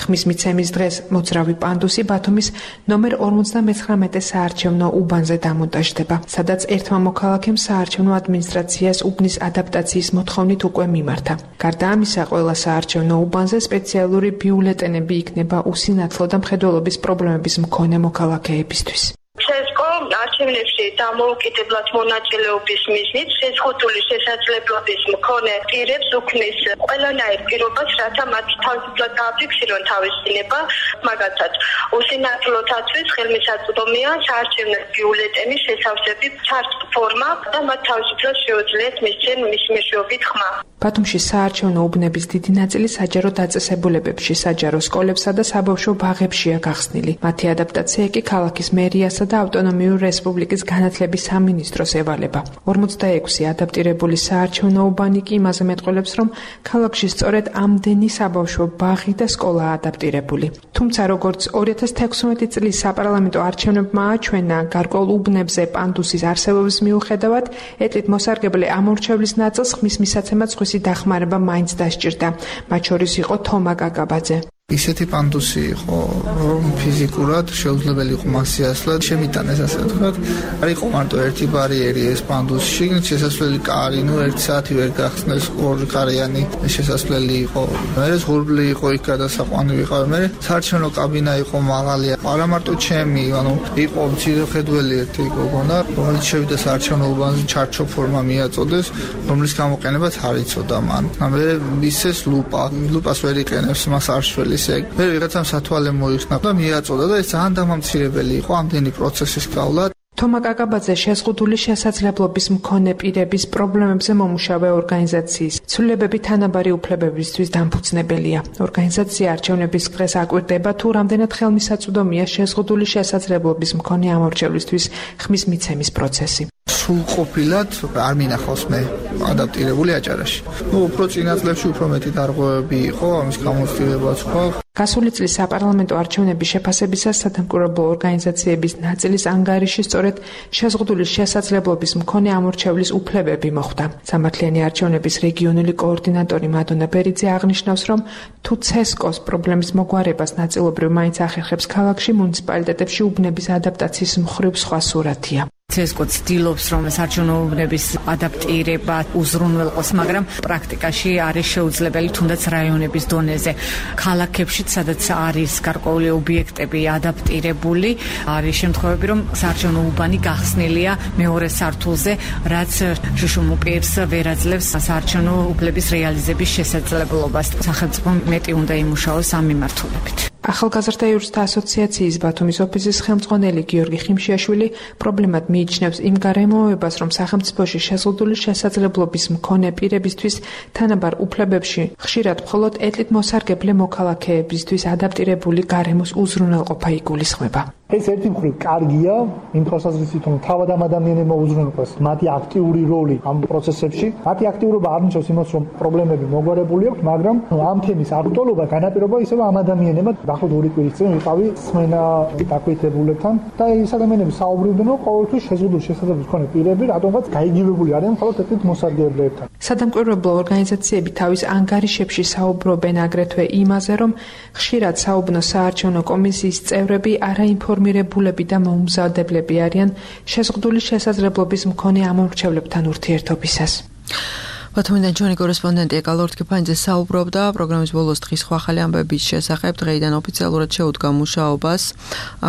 ხმის მიცემის დღეს მოძრავი პანდუსი ბათუმის ნომერ ორმოცდამეცხრამეტე საარჩევნო უბანზე დამონტაჟდება, სადაც ერთმა მოქალაქემ საარჩევნო ადმინისტრაციას უბნის ადაპტაციის მოთხოვნით უკვე მიმართა. გარდა ამისა, ყველა საარჩევნო უბანზე სპეციალური ბიულეტენები იქნება უსინათლო და მხედველობის პრობლემების მქონე მოქალაქეებისთვის. ცესკო არჩევნებში დამოუკიდებლად მონაწილეობის მიზნით შეზღუდული შესაძლებლობის მქონე პირებს უქმნის ყველანაირ პირობას, რათა მათ თავისუფლად გააფიქსირონ თავის დინება, მაგალითად, უსინათლოთათვის ხელმისაწვდომია საარჩევნო ბიულეტენის შესავსების ჩარტ ფორმა და მათ თავისუფლად შეუძლიათ მისცენ მის მეშვეობით ხმა. ბათუმში საარჩევნო უბნების დიდი ნაწილი საჯარო დაწესებულებებში, საჯარო სკოლებსა და საბავშვო ბაღებშია გახსნილი. მათი ადაპტაცია კი ქალაქის მერიასა და ავტონომიური რესპუბლიკის განათლების სამინისტროს ევალება. ორმოცდაექვსი ადაპტირებული საარჩევნო უბანი კი იმაზე მეტყველებს, რომ ქალაქში სწორედ ამდენი საბავშვო ბაღი და სკოლაა ადაპტირებული. თუმცა, როგორც ორი ათას თექვსმეტი წლის საპარლამენტო არჩევნებმა აჩვენა, გარკვეულ უბნებზე პანდუსის არსებობის მიუხედავად, ეტლით მოსარგებლე ამომრჩევლის ნაწილს ხმის მისაცემად სხვისი დახმარება მაინც დასჭირდა. მათ შორის იყო თომა კაკაბაძე. ისეთი პანდუსი იყო, რომ ფიზიკურად შეუძლებელი იყო მასიასლად შემიტანეს, ასე ვთქვათ. არ იყო მარტო ერთი ბარიერი ეს პანდუსში, შესასვლელი კარი, ნუ ერთი საათი ვერ გახსნეს, ორი კარიანი შესასვლელი იყო. მერე ზღურბლი იყო იქ გადასაყვანი ვიყავ. მერე საარჩევნო კაბინა იყო მაღალი. არა მარტო ჩემი, ანუ იყო მცირეხედველი ერთი გოგონა, რომელიც შევიდა საარჩევნო უბანზე ჩარჩო ფორმა მიაწოდეს, რომლის გამოყენებაც არ იცოდა მან. მერე ისეს ლუპა, ლუპას ვერ იყენებს მას არშველი. მე ვიღაცამ სათვალე მოიხსნა და მიაწოდა და ეს ძალიან დამამცირებელი იყო ამდენი პროცესის გავლა. თომა კაკაბაძე შეზღუდული შესაძლებლობის მქონე პირების პრობლემებზე მომუშავე ორგანიზაციის ცვლილებები თანაბარი უფლებებისთვის დამფუძნებელია. ორგანიზაცია არჩევნების დღეს აკვირდება, თუ რამდენად ხელმისაწვდომია შეზღუდული შესაძლებლობის მქონე ამომრჩევლისთვის ხმის მიცემის პროცესი. სრულყოფილად არ მინახავს მე ადაპტირებული აჭარაში. ნუ უფრო წინა წლებში უფრო მეტი დარღვევები იყო, ამის გამოცდილებაც ხო. გასული წლის საპარლამენტო არჩევნების შეფასებისას სადამკვირვებლო ორგანიზაციების ნაწილის ანგარიში სწორედ შეზღუდული შესაძლებლობის მქონე ამომრჩევლის უფლებები მოხვდა. სამართლიანი არჩევნების რეგიონული კოორდინატორი მადონა ბერიძე აღნიშნავს, რომ თუ ცესკოს პრობლემის მოგვარებას ნაწილობრივ მაინც ახერხებს ქალაქში, მუნიციპალიტეტებში უბნების ადაპტაციის მხრივ სხვა სურათია. ცესკო ცდილობს, რომ საარჩევნო უბნების ადაპტირება უზრუნველყოს, მაგრამ პრაქტიკაში არის შეუძლებელი, თუნდაც რაიონების დონეზე. ქალაქებში, სადაც არის გარკვეული ობიექტები ადაპტირებული, არის შემთხვევები, რომ საარჩევნო უბანი გახსნილია მეორე სართულზე, რაც შუშუმუპირს ვერ აძლევს საარჩევნო უბნების რეალიზების შესაძლებლობას. სახელმწიფომ მეტი უნდა იმუშაოს ამ მიმართულებით. ახალგაზრდა იურისტთა ასოციაციის ბათუმის ოფისის ხელმძღვანელი გიორგი ხიმშიაშვილი პრობლემად მიიჩნევს იმ გარემოებას, რომ სახელმწიფოში შეზღუდული შესაძლებლობის მქონე პირებისთვის თანაბარ უფლებებში ხშირად მხოლოდ ეტლით მოსარგებლე მოქალაქეებისთვის ადაპტირებული გარემოს უზრუნველყოფა იგულისხმება. ეს ერთი მხრივ კარგია, იმ თვალსაზრისით, რომ თავად ამ ადამიანებმა უზრუნველყოს მათი აქტიური როლი ამ პროცესებში. მათი აქტიურობა არ ნიშნავს იმას, რომ პრობლემები მოგვარებული აქვს, მაგრამ ამ თემის აქტუალობა განაპირობა ისევ ამ ადამიანებმა. დაახლოებით ორი კვირის წინ ვიყავი სმენა დაქვეითებულებთან და ეს ადამიანები საუბრობდნენ, რომ ყოველთვის შეზღუდული შესაძლებლობის მქონე პირები რატომღაც გაიგივებული არიან მხოლოდ ერთ-ერთ მოსარგებლებთან. სადამკვირვებლო ორგანიზაციები თავის ანგარიშებში საუბრობენ აგრეთვე იმაზე, რომ ხშირად საუბნო საარჩევნო კომისიის წევრები არაინფორმირებულები და მოუმზადებლები არიან შეზღუდული შესაძლებლობის მქონე ამომრჩევლებთან ურთიერთობისას. ბათუმიდან ჩვენი კორესპონდენტი ეკალორთ კიფანიძე საუბრობდა პროგრამის ბოლოს დღის ახალი ამბების შესახებ. დღეიდან ოფიციალურად შეუდგა მუშაობას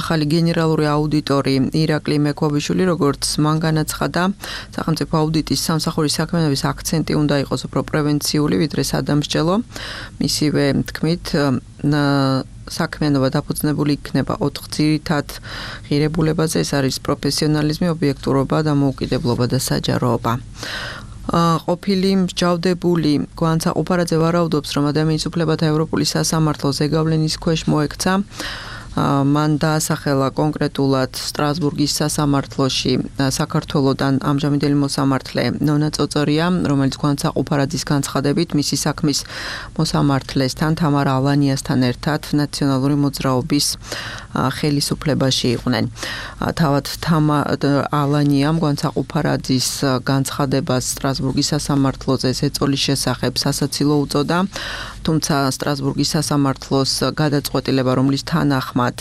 ახალი გენერალური აუდიტორი ირაკლი მექვაბიშვილი, როგორც მან განაცხადა, სახელმწიფო აუდიტის სამსახურის საქმიანობის აქცენტი უნდა იყოს უფრო პრევენციული, ვიდრე სადამსჯელო. მისივე თქმით, საქმიანობა დაფუძნებული იქნება ოთხ ძირითად ღირებულებაზე, ეს არის პროფესიონალიზმი, ობიექტურობა, დამოუკიდებლობა და საჯაროობა. ყოფილი მსჯავრდებული გვანცა ოპარაძე ვარაუდობს, რომ ადამიანის უფლებათა ევროპული სასამართლო ზეგავლენის ქვეშ მოექცა. მან დაასახელა კონკრეტულად სტრასბურგის სასამართლოში საქართველოდან ამჟამინდელი მოსამართლე ნონა წოწორია, რომელიც გვანცა ოპარაძის განცხადებით მისი საქმის მოსამართლესთან თამარა ალანიასთან ერთად ნაციონალური მოძრაობის ხელისუფლებაში იყვნენ. თავად თამარა ალანიამ გვანცა ოპარაძის განცხადებას სტრასბურგის სასამართლოზე ზეწოლის შესახებ სასაცილო უწოდა, თუმცა სტრასბურგის სასამართლოს გადაწყვეტილება, რომლის თანახმად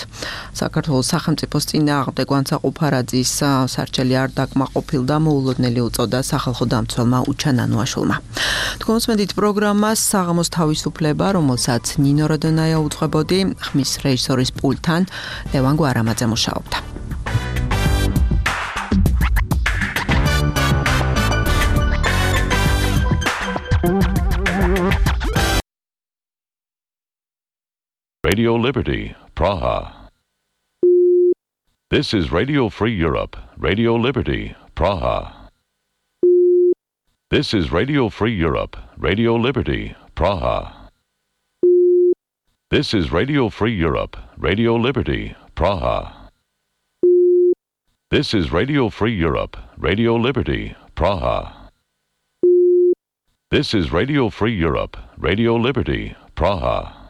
საქართველოს სახელმწიფოს წინააღმდეგ გვანცა ოპარაძის სარჩელი არ დაკმაყოფილდა, მოულოდნელი უწოდა სახალხო დამცველმა უჩა ნანუაშვილმა. თქვენ მოსმენთ პროგრამას საღამოს თავისუფლება, რომელსაც ნინო როდონაია უძღვებოდი, ხმის რეჟისორის პულტთან ლევან გვარამაძე მუშაობდა. Radio Liberty, Praha. This is Radio Free Europe, Radio Liberty, Praha. This is Radio Free Europe, Radio Liberty, Praha. This is Radio Free Europe, Radio Liberty, Praha. This is Radio Free Europe, Radio Liberty, Praha. This is Radio Free Europe, Radio Liberty, Praha.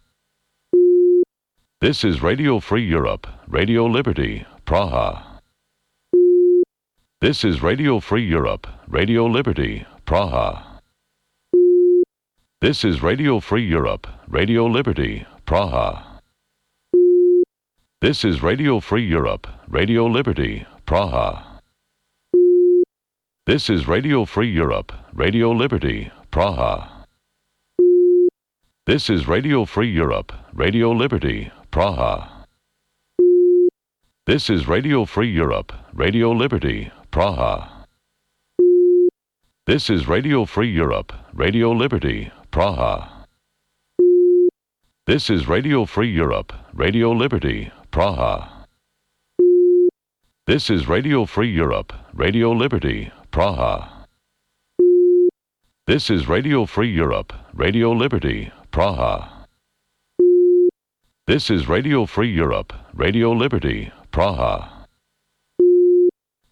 This is Radio Free Europe, Radio Liberty, Praha. This is Radio Free Europe, Radio Liberty, Praha. This is Radio Free Europe, Radio Liberty, Praha. This is Radio Free Europe, Radio Liberty, Praha. This is Radio Free Europe, Radio Liberty, Praha. This is Radio Free Europe, Radio Liberty, Praha. This is Radio Free Europe, Radio Liberty, Praha. This is Radio Free Europe, Radio Liberty, Praha. This is Radio Free Europe, Radio Liberty, Praha. This is Radio Free Europe, Radio Liberty, Praha. This is Radio Free Europe, Radio Liberty, Praha. This is Radio Free Europe, Radio Liberty, Praha.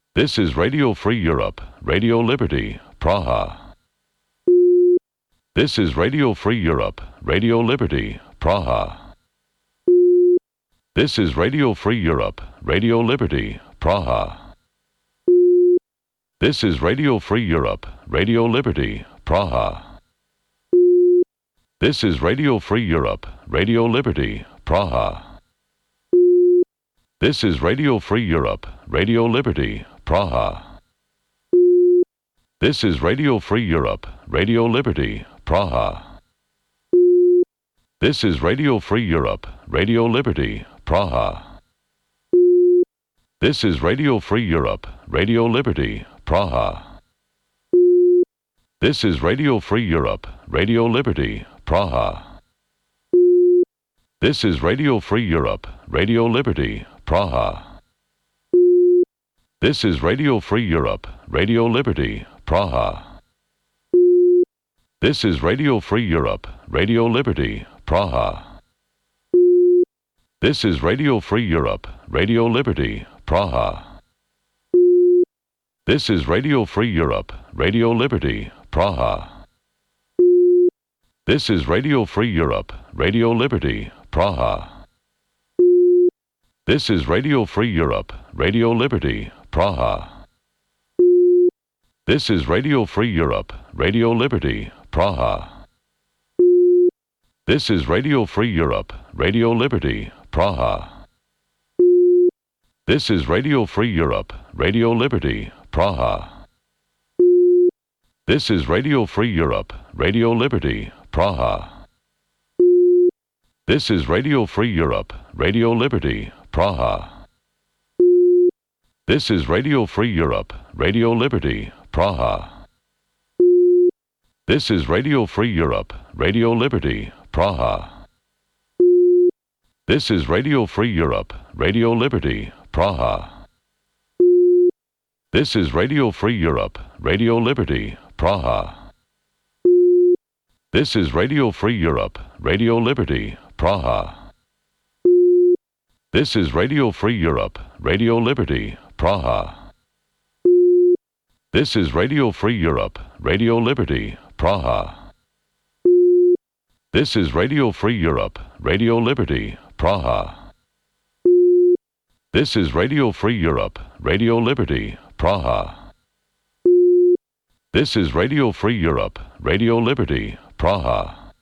This is Radio Free Europe, Radio Liberty, Praha. This is Radio Free Europe, Radio Liberty, Praha. This is Radio Free Europe, Radio Liberty, Praha. This is Radio Free Europe, Radio Liberty, Praha. This is Radio Free Europe, Radio Liberty, Praha. This is Radio Free Europe, Radio Liberty, Praha. This is Radio Free Europe, Radio Liberty, Praha. This is Radio Free Europe, Radio Liberty, Praha. This is Radio Free Europe, Radio Liberty, Praha. This is Radio Free Europe, Radio Liberty, Praha. This is Radio Free Europe, Radio Liberty, Praha. This is Radio Free Europe, Radio Liberty, Praha. This is Radio Free Europe, Radio Liberty, Praha. This is Radio Free Europe, Radio Liberty, Praha. This is Radio Free Europe, Radio Liberty, Praha. This is Radio Free Europe, Radio Liberty, Praha. This is Radio Free Europe, Radio Liberty, Praha. This is Radio Free Europe, Radio Liberty, Praha. This is Radio Free Europe, Radio Liberty, Praha. This is Radio Free Europe, Radio Liberty, Praha. This is Radio Free Europe, Radio Liberty, Praha. This is Radio Free Europe, Radio Liberty, Praha. This is Radio Free Europe, Radio Liberty, Praha. This is Radio Free Europe, Radio Liberty, Praha. This is Radio Free Europe, Radio Liberty, Praha. This is Radio Free Europe, Radio Liberty, Praha. This is Radio Free Europe, Radio Liberty, Praha. This is Radio Free Europe, Radio Liberty, Praha. This is Radio Free Europe, Radio Liberty, Praha. This is Radio Free Europe, Radio Liberty, Praha. This is Radio Free Europe, Radio Liberty, Praha. This is Radio Free Europe, Radio Liberty, Praha.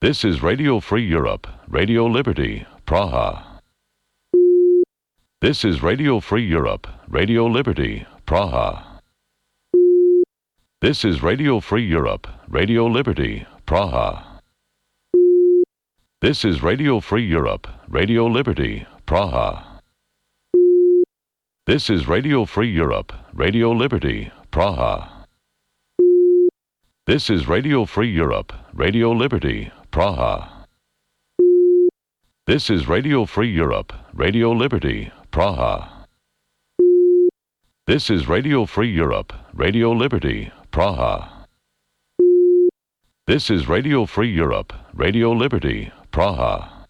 This is Radio Free Europe, Radio Liberty, Praha. This is Radio Free Europe, Radio Liberty, Praha. This is Radio Free Europe, Radio Liberty, Praha. This is Radio Free Europe, Radio Liberty, Praha. This is Radio Free Europe, Radio Liberty, Praha. This is Radio Free Europe, Radio Liberty, Praha. This is Radio Free Europe, Radio Liberty, Praha. This is Radio Free Europe, Radio Liberty, Praha. This is Radio Free Europe, Radio Liberty, Praha.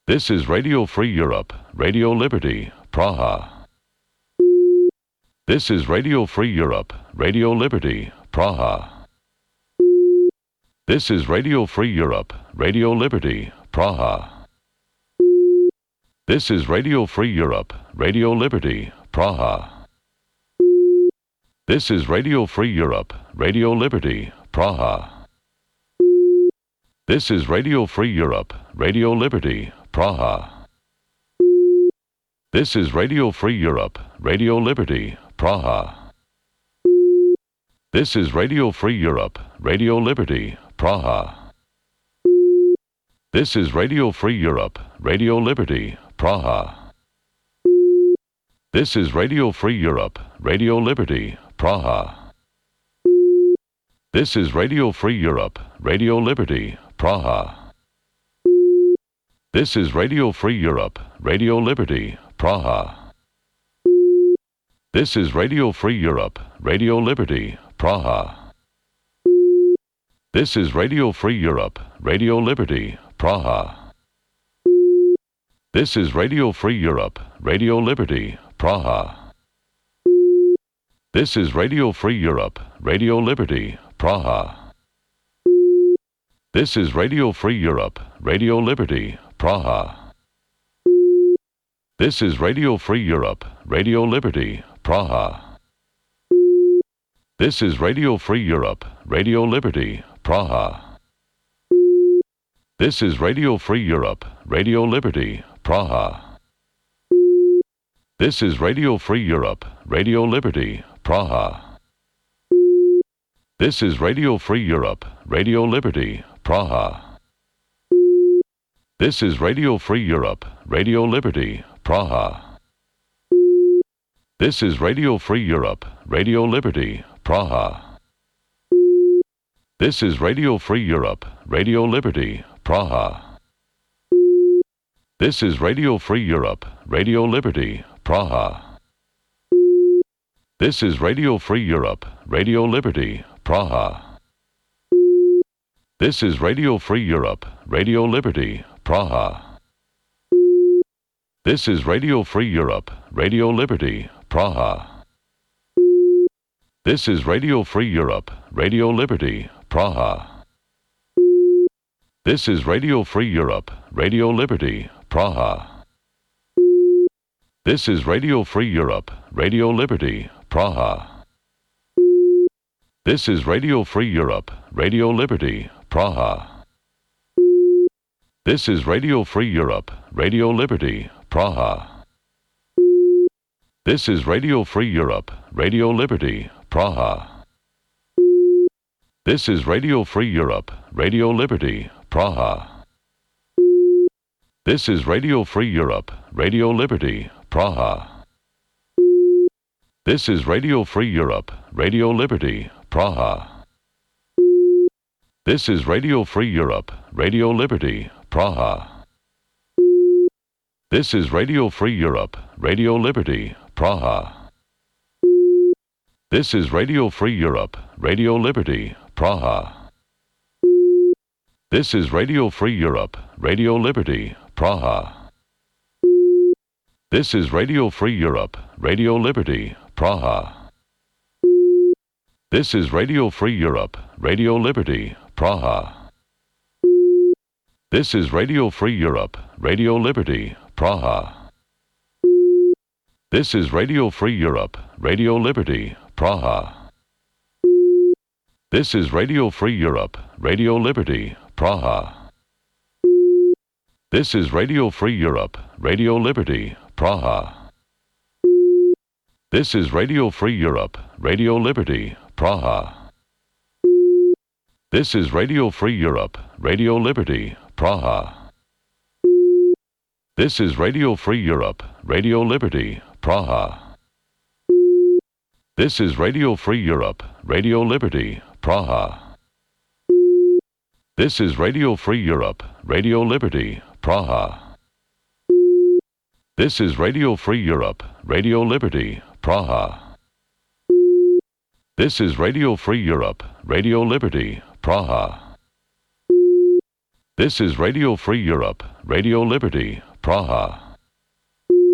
This is Radio Free Europe, Radio Liberty, Praha. This is Radio Free Europe, Radio Liberty, Praha. This is Radio Free Europe, Radio Liberty, Praha. This is Radio Free Europe, Radio Liberty, Praha. This is Radio Free Europe, Radio Liberty, Praha. This is Radio Free Europe, Radio Liberty, Praha. This is Radio Free Europe, Radio Liberty, Praha. This is Radio Free Europe, Radio Liberty, Praha. This is Radio Free Europe, Radio Liberty, Praha. This is Radio Free Europe, Radio Liberty, Praha. This is Radio Free Europe, Radio Liberty, Praha. This is Radio Free Europe, Radio Liberty, Praha. This is Radio Free Europe, Radio Liberty, Praha. This is Radio Free Europe, Radio Liberty, Praha. This is Radio Free Europe, Radio Liberty, Praha. This is Radio Free Europe, Radio Liberty, Praha. This is Radio Free Europe, Radio Liberty, Praha. This is Radio Free Europe, Radio Liberty, Praha. This is Radio Free Europe, Radio Liberty, Praha. This is Radio Free Europe, Radio Liberty, Praha. This is Radio Free Europe, Radio Liberty, Praha. This is Radio Free Europe, Radio Liberty, Praha. This is Radio Free Europe, Radio Liberty, Praha. This is Radio Free Europe, Radio Liberty, Praha. This is Radio Free Europe, Radio Liberty, Praha. This is Radio Free Europe, Radio Liberty, Praha. This is Radio Free Europe, Radio Liberty, Praha. This is Radio Free Europe, Radio Liberty, Praha. This is Radio Free Europe, Radio Liberty, Praha. This is Radio Free Europe, Radio Liberty, Praha. This is Radio Free Europe, Radio Liberty, Praha. This is Radio Free Europe, Radio Liberty, Praha. This is Radio Free Europe, Radio Liberty, Praha. This is Radio Free Europe, Radio Liberty, Praha. This is Radio Free Europe, Radio Liberty, Praha. This is Radio Free Europe, Radio Liberty, Praha. This is Radio Free Europe, Radio Liberty, Praha. This is Radio Free Europe, Radio Liberty, Praha. This is Radio Free Europe, Radio Liberty, Praha. This is Radio Free Europe, Radio Liberty, Praha. This is Radio Free Europe, Radio Liberty, Praha. This is Radio Free Europe, Radio Liberty, Praha. This is Radio Free Europe, Radio Liberty, Praha. This is Radio Free Europe, Radio Liberty, Praha. This is Radio Free Europe, Radio Liberty, Praha. This is Radio Free Europe, Radio Liberty, Praha. This is Radio Free Europe, Radio Liberty, Praha. This is Radio Free Europe, Radio Liberty, Praha. This is Radio Free Europe, Radio Liberty, Praha. This is Radio Free Europe, Radio Liberty, Praha. This is Radio Free Europe, Radio Liberty, Praha. This is Radio Free Europe, Radio Liberty, Praha. This is Radio Free Europe, Radio Liberty, Praha. This is Radio Free Europe, Radio Liberty, Praha. This is Radio Free Europe, Radio Liberty, Praha. This is Radio Free Europe, Radio Liberty, Praha.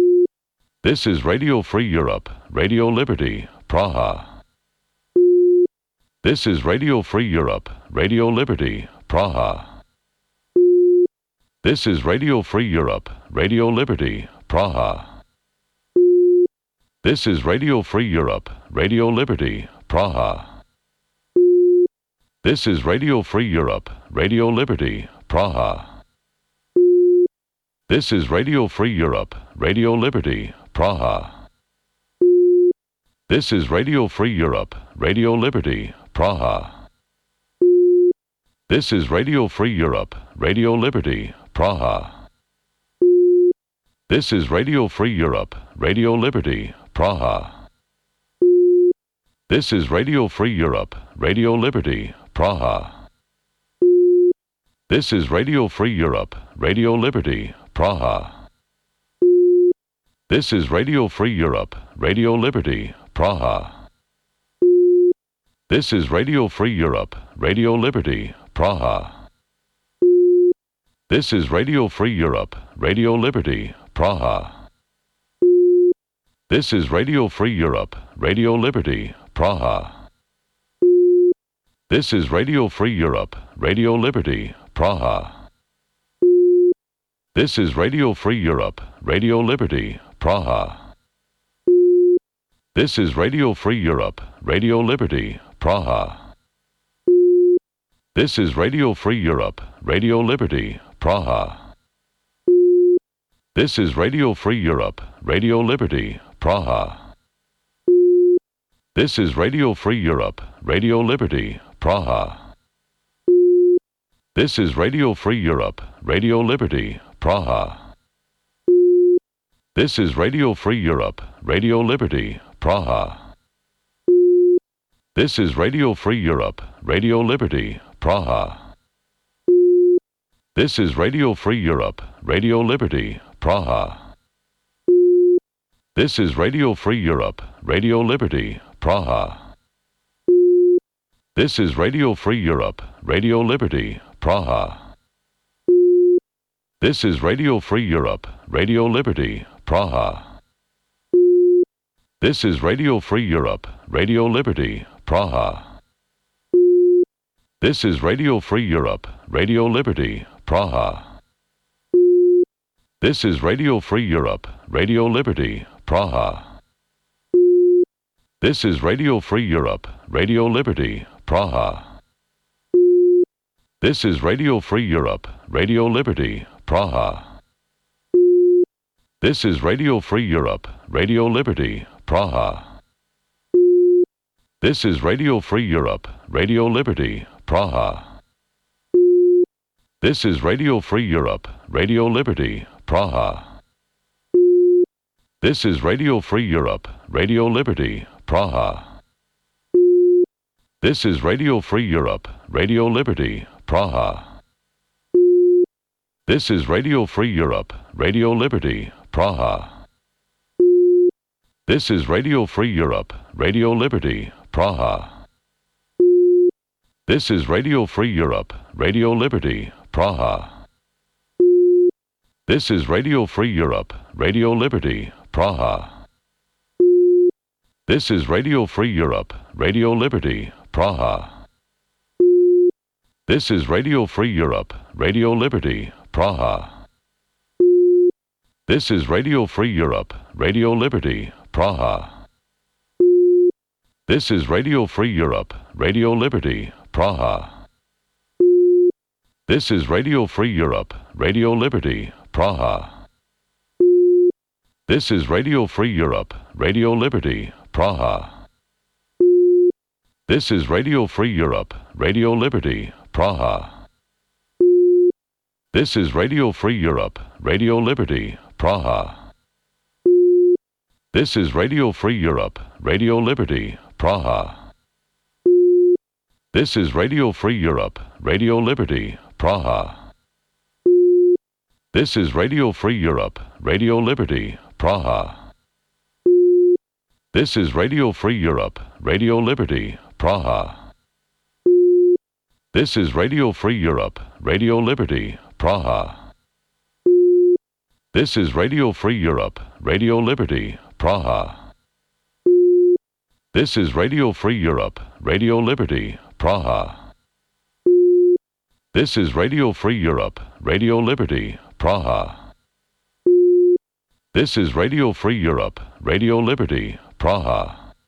This is Radio Free Europe, Radio Liberty, Praha. This is Radio Free Europe, Radio Liberty, Praha. This is Radio Free Europe, Radio Liberty, Praha. This is Radio Free Europe, Radio Liberty, Praha. This is Radio Free Europe, Radio Liberty, Praha. This is Radio Free Europe, Radio Liberty, Praha. This is Radio Free Europe, Radio Liberty, Praha. This is Radio Free Europe, Radio Liberty, Praha. This is Radio Free Europe, Radio Liberty, Praha. This is Radio Free Europe, Radio Liberty, Praha. This is Radio Free Europe, Radio Liberty, Praha. This is Radio Free Europe, Radio Liberty, Praha. This is Radio Free Europe, Radio Liberty, Praha. This is Radio Free Europe, Radio Liberty, Praha. This is Radio Free Europe, Radio Liberty, Praha. This is Radio Free Europe, Radio Liberty, Praha. This is Radio Free Europe, Radio Liberty, Praha. This is Radio Free Europe, Radio Liberty, Praha. This is Radio Free Europe, Radio Liberty, Praha. This is Radio Free Europe, Radio Liberty, Praha. This is Radio Free Europe, Radio Liberty, Praha. This is Radio Free Europe, Radio Liberty, Praha. This is Radio Free Europe, Radio Liberty, Praha. This is Radio Free Europe, Radio Liberty, Praha. This is Radio Free Europe, Radio Liberty, Praha. This is Radio Free Europe, Radio Liberty, Praha. This is Radio Free Europe, Radio Liberty, Praha. This is Radio Free Europe, Radio Liberty, Praha. This is Radio Free Europe, Radio Liberty, Praha. This is Radio Free Europe, Radio Liberty, Praha. This is Radio Free Europe, Radio Liberty, Praha. This is Radio Free Europe, Radio Liberty, Praha. This is Radio Free Europe, Radio Liberty, Praha. This is Radio Free Europe, Radio Liberty, Praha. This is Radio Free Europe, Radio Liberty, Praha. This is Radio Free Europe, Radio Liberty, Praha. This is Radio Free Europe, Radio Liberty, Praha. This is Radio Free Europe, Radio Liberty, Praha. This is Radio Free Europe, Radio Liberty, Praha. This is Radio Free Europe, Radio Liberty, Praha. This is Radio Free Europe, Radio Liberty, Praha. This is Radio Free Europe, Radio Liberty, Praha. This is Radio Free Europe, Radio Liberty, Praha. This is Radio Free Europe, Radio Liberty, Praha. This is Radio Free Europe, Radio Liberty, Praha. This is Radio Free Europe, Radio Liberty, Praha. This is Radio Free Europe, Radio Liberty, Praha. This is Radio Free Europe, Radio Liberty, Praha. This is Radio Free Europe, Radio Liberty, Praha. This is Radio Free Europe, Radio Liberty, Praha. This is Radio Free Europe, Radio Liberty, Praha. This is Radio Free Europe, Radio Liberty, Praha. This is Radio Free Europe, Radio Liberty, Praha. This is Radio Free Europe, Radio Liberty, Praha. This is Radio Free Europe, Radio Liberty, Praha. This is Radio Free Europe, Radio Liberty, Praha. This is Radio Free Europe, Radio Liberty, Praha. This is Radio Free Europe, Radio Liberty, Praha. This is Radio Free Europe, Radio Liberty, Praha.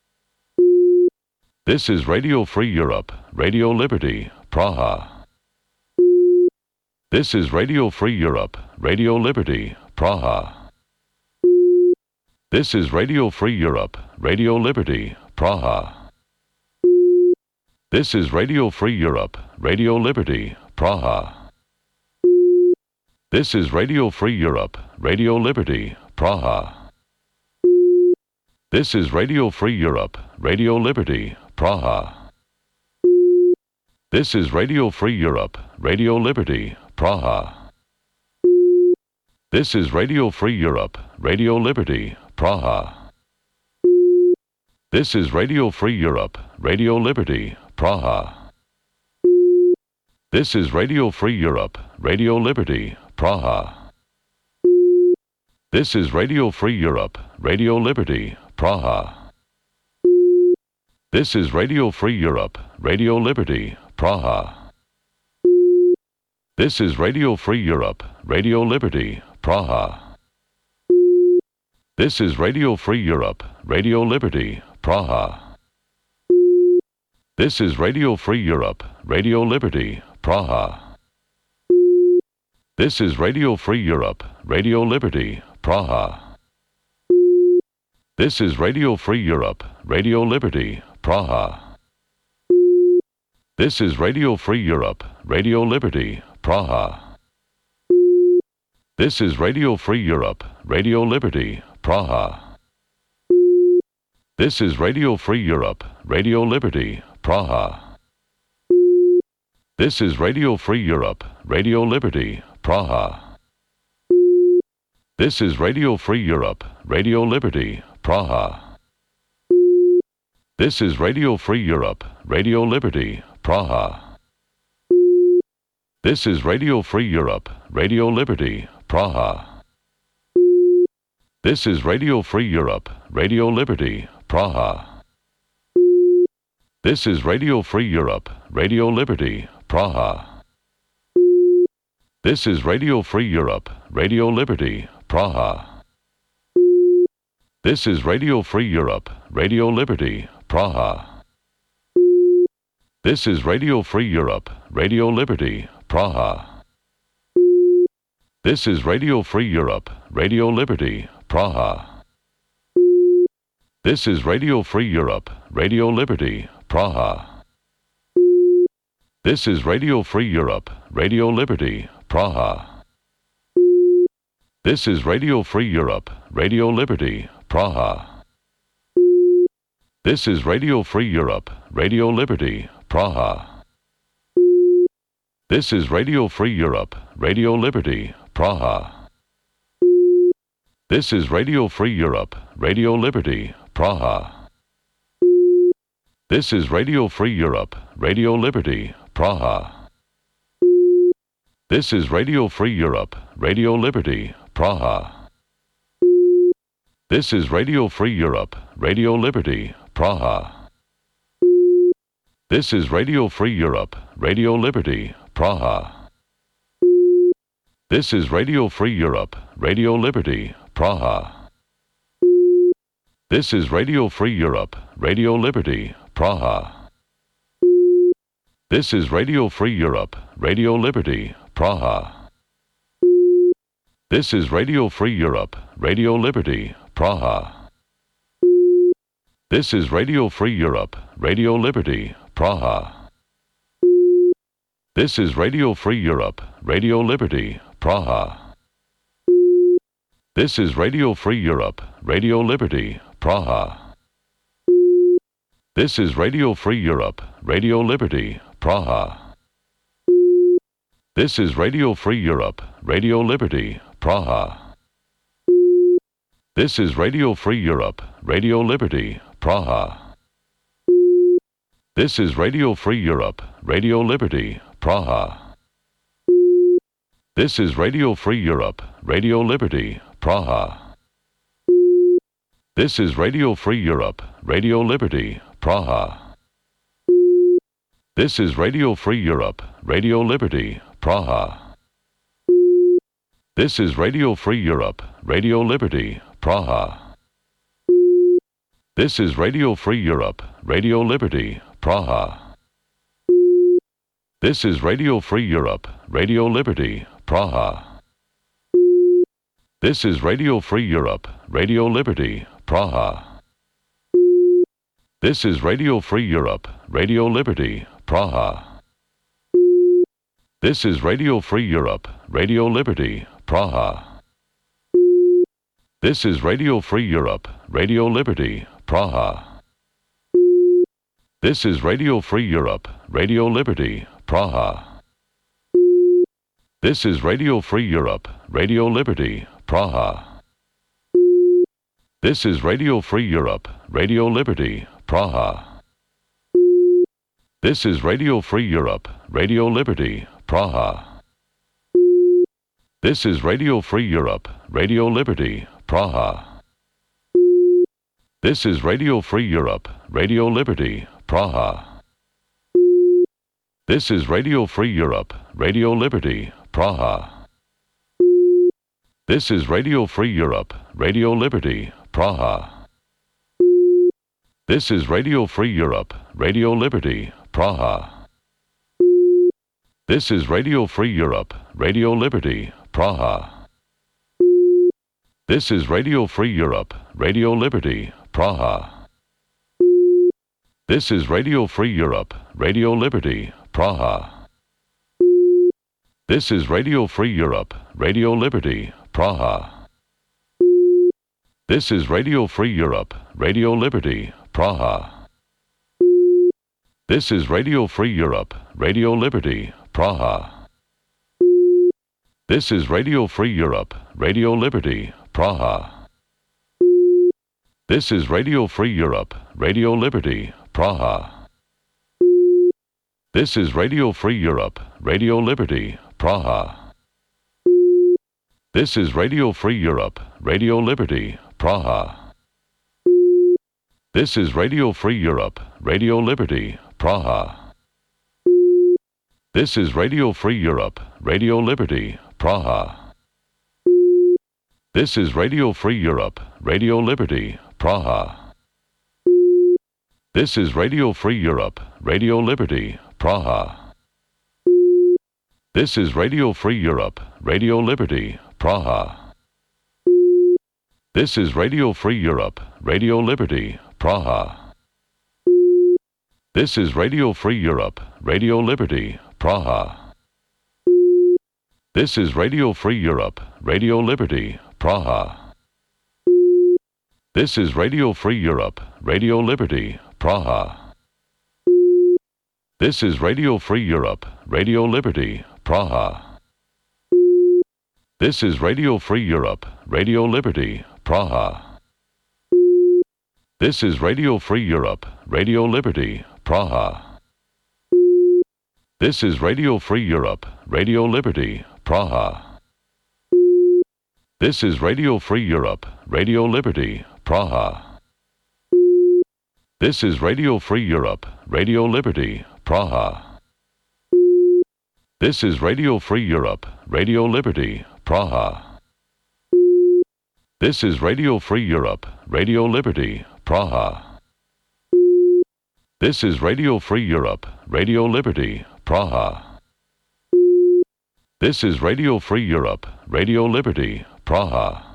This is Radio Free Europe, Radio Liberty, Praha. This is Radio Free Europe, Radio Liberty, Praha. This is Radio Free Europe, Radio Liberty, Praha. This is Radio Free Europe, Radio Liberty, Praha. This is Radio Free Europe, Radio Liberty, Praha. This is Radio Free Europe, Radio Liberty, Praha. This is Radio Free Europe, Radio Liberty, Praha. This is Radio Free Europe, Radio Liberty, Praha. This is Radio Free Europe, Radio Liberty, Praha. This is Radio Free Europe, Radio Liberty, Praha. This is Radio Free Europe, Radio Liberty, Praha. This is Radio Free Europe, Radio Liberty, Praha. This is Radio Free Europe, Radio Liberty, Praha. This is Radio Free Europe, Radio Liberty, Praha. This is Radio Free Europe, Radio Liberty, Praha. This is Radio Free Europe, Radio Liberty, Praha. This is Radio Free Europe, Radio Liberty, Praha. This is Radio Free Europe, Radio Liberty, Praha. This is Radio Free Europe, Radio Liberty, Praha. This is Radio Free Europe, Radio Liberty, Praha. This is Radio Free Europe, Radio Liberty, Praha. This is Radio Free Europe, Radio Liberty, Praha. This is Radio Free Europe, Radio Liberty, Praha. This is Radio Free Europe, Radio Liberty, Praha. This is Radio Free Europe, Radio Liberty, Praha. This is Radio Free Europe, Radio Liberty, Praha. This is Radio Free Europe, Radio Liberty, Praha. This is Radio Free Europe, Radio Liberty, Praha. This is Radio Free Europe, Radio Liberty, Praha. This is Radio Free Europe, Radio Liberty, Praha. This is Radio Free Europe, Radio Liberty, Praha. This is Radio Free Europe, Radio Liberty, Praha. This is Radio Free Europe, Radio Liberty, Praha. This is Radio Free Europe, Radio Liberty, Praha. This is Radio Free Europe, Radio Liberty, Praha. This is Radio Free Europe, Radio Liberty, Praha. This is Radio Free Europe, Radio Liberty, Praha. This is Radio Free Europe, Radio Liberty, Praha. This is Radio Free Europe, Radio Liberty, Praha. This is Radio Free Europe, Radio Liberty, Praha. This is Radio Free Europe, Radio Liberty, Praha. This is Radio Free Europe, Radio Liberty, Praha. This is Radio Free Europe, Radio Liberty, Praha. This is Radio Free Europe, Radio Liberty, Praha. This is Radio Free Europe, Radio Liberty, Praha. This is Radio Free Europe, Radio Liberty, Praha. This is Radio Free Europe, Radio Liberty, Praha. This is Radio Free Europe, Radio Liberty, Praha. This is Radio Free Europe, Radio Liberty, Praha. This is Radio Free Europe, Radio Liberty, Praha. This is Radio Free Europe, Radio Liberty, Praha. This is Radio Free Europe, Radio Liberty, Praha. This is Radio Free Europe, Radio Liberty, Praha. This is Radio Free Europe, Radio Liberty, Praha. This is Radio Free Europe, Radio Liberty, Praha. This is Radio Free Europe, Radio Liberty, Praha. This is Radio Free Europe, Radio Liberty, Praha. This is Radio Free Europe, Radio Liberty, Praha. This is Radio Free Europe, Radio Liberty, Praha. This is Radio Free Europe, Radio Liberty, Praha. This is Radio Free Europe, Radio Liberty, Praha. This is Radio Free Europe, Radio Liberty, Praha. This is Radio Free Europe, Radio Liberty, Praha. This is Radio Free Europe, Radio Liberty, Praha. This is Radio Free Europe, Radio Liberty, Praha. This is Radio Free Europe, Radio Liberty, Praha. This is Radio Free Europe, Radio Liberty, Praha. This is Radio Free Europe, Radio Liberty, Praha. This is Radio Free Europe, Radio Liberty, Praha. This is Radio Free Europe, Radio Liberty, Praha. This is Radio Free Europe, Radio Liberty, Praha. This is Radio Free Europe, Radio Liberty, Praha. This is Radio Free Europe, Radio Liberty, Praha. This is Radio Free Europe, Radio Liberty, Praha. This is Radio Free Europe, Radio Liberty, Praha. This is Radio Free Europe, Radio Liberty, Praha. This is Radio Free Europe, Radio Liberty, Praha. This is Radio Free Europe, Radio Liberty, Praha. This is Radio Free Europe, Radio Liberty, Praha. This is Radio Free Europe, Radio Liberty, Praha. This is Radio Free Europe, Radio Liberty, Praha. This is Radio Free Europe, Radio Liberty, Praha. This is Radio Free Europe, Radio Liberty, Praha. This is Radio Free Europe, Radio Liberty, Praha. This is Radio Free Europe, Radio Liberty, Praha. This is Radio Free Europe, Radio Liberty, Praha. This is Radio Free Europe, Radio Liberty, Praha. This is Radio Free Europe, Radio Liberty, Praha. This is Radio Free Europe, Radio Liberty, Praha. This is Radio Free Europe, Radio Liberty, Praha. This is Radio Free Europe, Radio Liberty, Praha. This is Radio Free Europe, Radio Liberty, Praha. This is Radio Free Europe, Radio Liberty, Praha. This is Radio Free Europe, Radio Liberty, Praha. This is Radio Free Europe, Radio Liberty, Praha. This is Radio Free Europe, Radio Liberty, Praha. This is Radio Free Europe, Radio Liberty, Praha. This is Radio Free Europe, Radio Liberty, Praha. This is Radio Free Europe, Radio Liberty, Praha.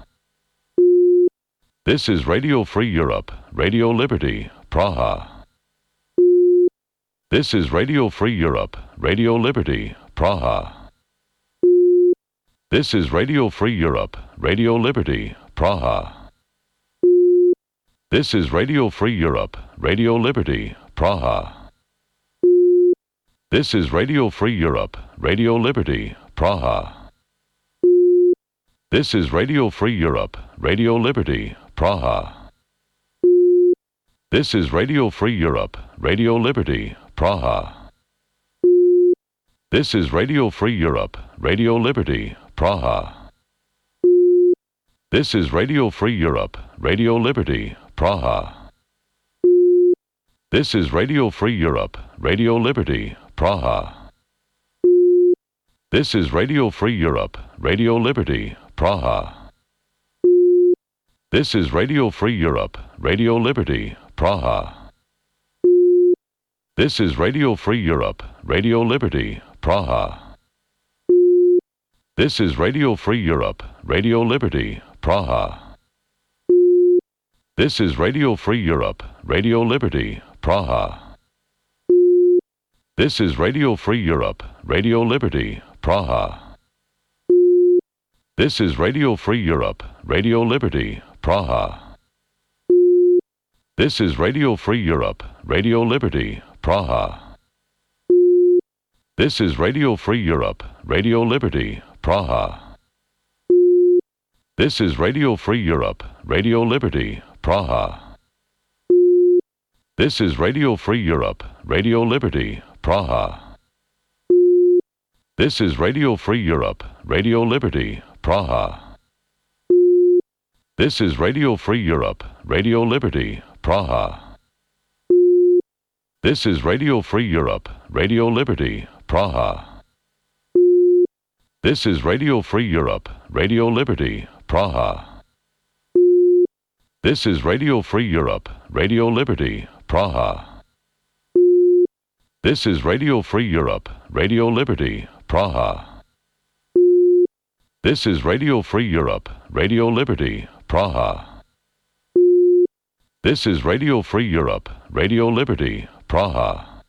This is Radio Free Europe, Radio Liberty, Praha. This is Radio Free Europe, Radio Liberty, Praha. This is Radio Free Europe, Radio Liberty, Praha. This is Radio Free Europe, Radio Liberty, Praha. This is Radio Free Europe, Radio Liberty, Praha. This is Radio Free Europe, Radio Liberty, Praha. This is Radio Free Europe, Radio Liberty, Praha. This is Radio Free Europe, Radio Liberty, Praha. This is Radio Free Europe, Radio Liberty, Praha. This is Radio Free Europe, Radio Liberty, Praha. This is Radio Free Europe, Radio Liberty, Praha. This is Radio Free Europe, Radio Liberty, Praha. This is Radio Free Europe, Radio Liberty, Praha. This is Radio Free Europe, Radio Liberty, Praha. This is Radio Free Europe, Radio Liberty, Praha. This is Radio Free Europe, Radio Liberty, Praha. This is Radio Free Europe, Radio Liberty, Praha. This is Radio Free Europe, Radio Liberty, Praha. This is Radio Free Europe, Radio Liberty, Praha. This is Radio Free Europe, Radio Liberty, Praha. This is Radio Free Europe, Radio Liberty, Praha. This is Radio Free Europe, Radio Liberty, Praha. This is Radio Free Europe, Radio Liberty, Praha. This is Radio Free Europe, Radio Liberty, Praha. This is Radio Free Europe, Radio Liberty, Praha. This is Radio Free Europe, Radio Liberty, Praha. This is Radio Free Europe, Radio Liberty, Praha. This is Radio Free Europe, Radio Liberty, Praha. This is Radio Free Europe, Radio Liberty, Praha.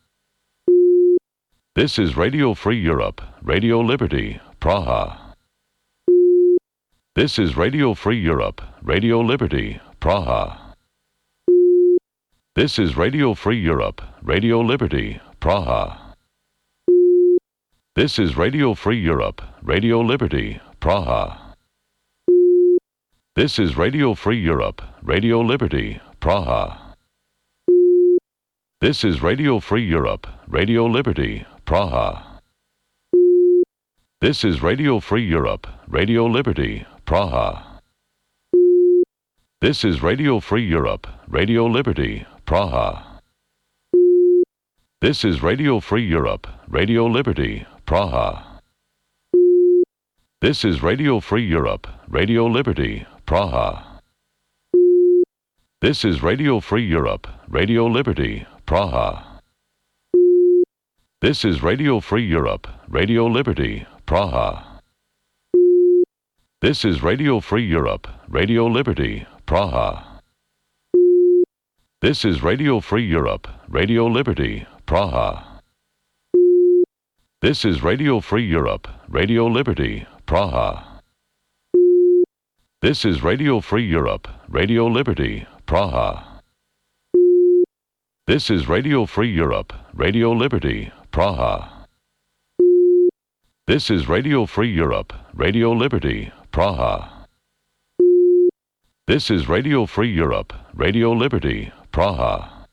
This is Radio Free Europe, Radio Liberty, Praha. This is Radio Free Europe, Radio Liberty, Praha. This is Radio Free Europe, Radio Liberty, Praha. This is Radio Free Europe, Radio Liberty, Praha. This is Radio Free Europe, Radio Liberty, Praha. This is Radio Free Europe, Radio Liberty, Praha. This is Radio Free Europe, Radio Liberty, Praha. This is Radio Free Europe, Radio Liberty, Praha. This is Radio Free Europe, Radio Liberty, Praha. This is Radio Free Europe, Radio Liberty, Praha. This is Radio Free Europe, Radio Liberty, Praha. This is Radio Free Europe, Radio Liberty, Praha. This is Radio Free Europe, Radio Liberty, Praha. This is Radio Free Europe, Radio Liberty, Praha. This is Radio Free Europe, Radio Liberty, Praha. This is Radio Free Europe, Radio Liberty, Praha. This is Radio Free Europe, Radio Liberty, Praha. This is Radio Free Europe, Radio Liberty, Praha. This is Radio Free Europe, Radio Liberty, Praha.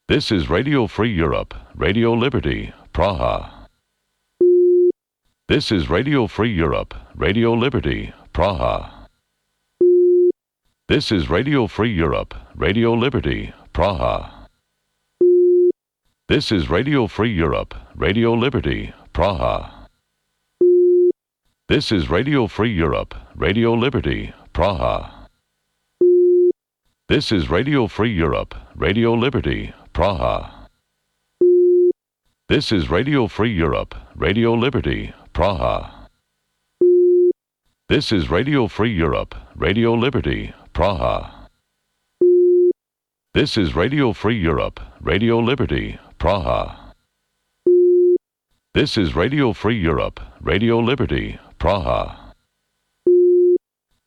This is Radio Free Europe, Radio Liberty, Praha. This is Radio Free Europe, Radio Liberty, Praha. This is Radio Free Europe, Radio Liberty, Praha. This is Radio Free Europe, Radio Liberty, Praha. This is Radio Free Europe, Radio Liberty, Praha. This is Radio Free Europe, Radio Liberty, Praha. This is Radio Free Europe, Radio Liberty, Praha. This is Radio Free Europe, Radio Liberty, Praha. This is Radio Free Europe, Radio Liberty, Praha. This is Radio Free Europe, Radio Liberty, Praha.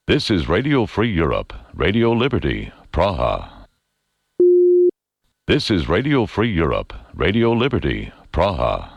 This is Radio Free Europe, Radio Liberty, Praha. This is Radio Free Europe, Radio Liberty, Praha.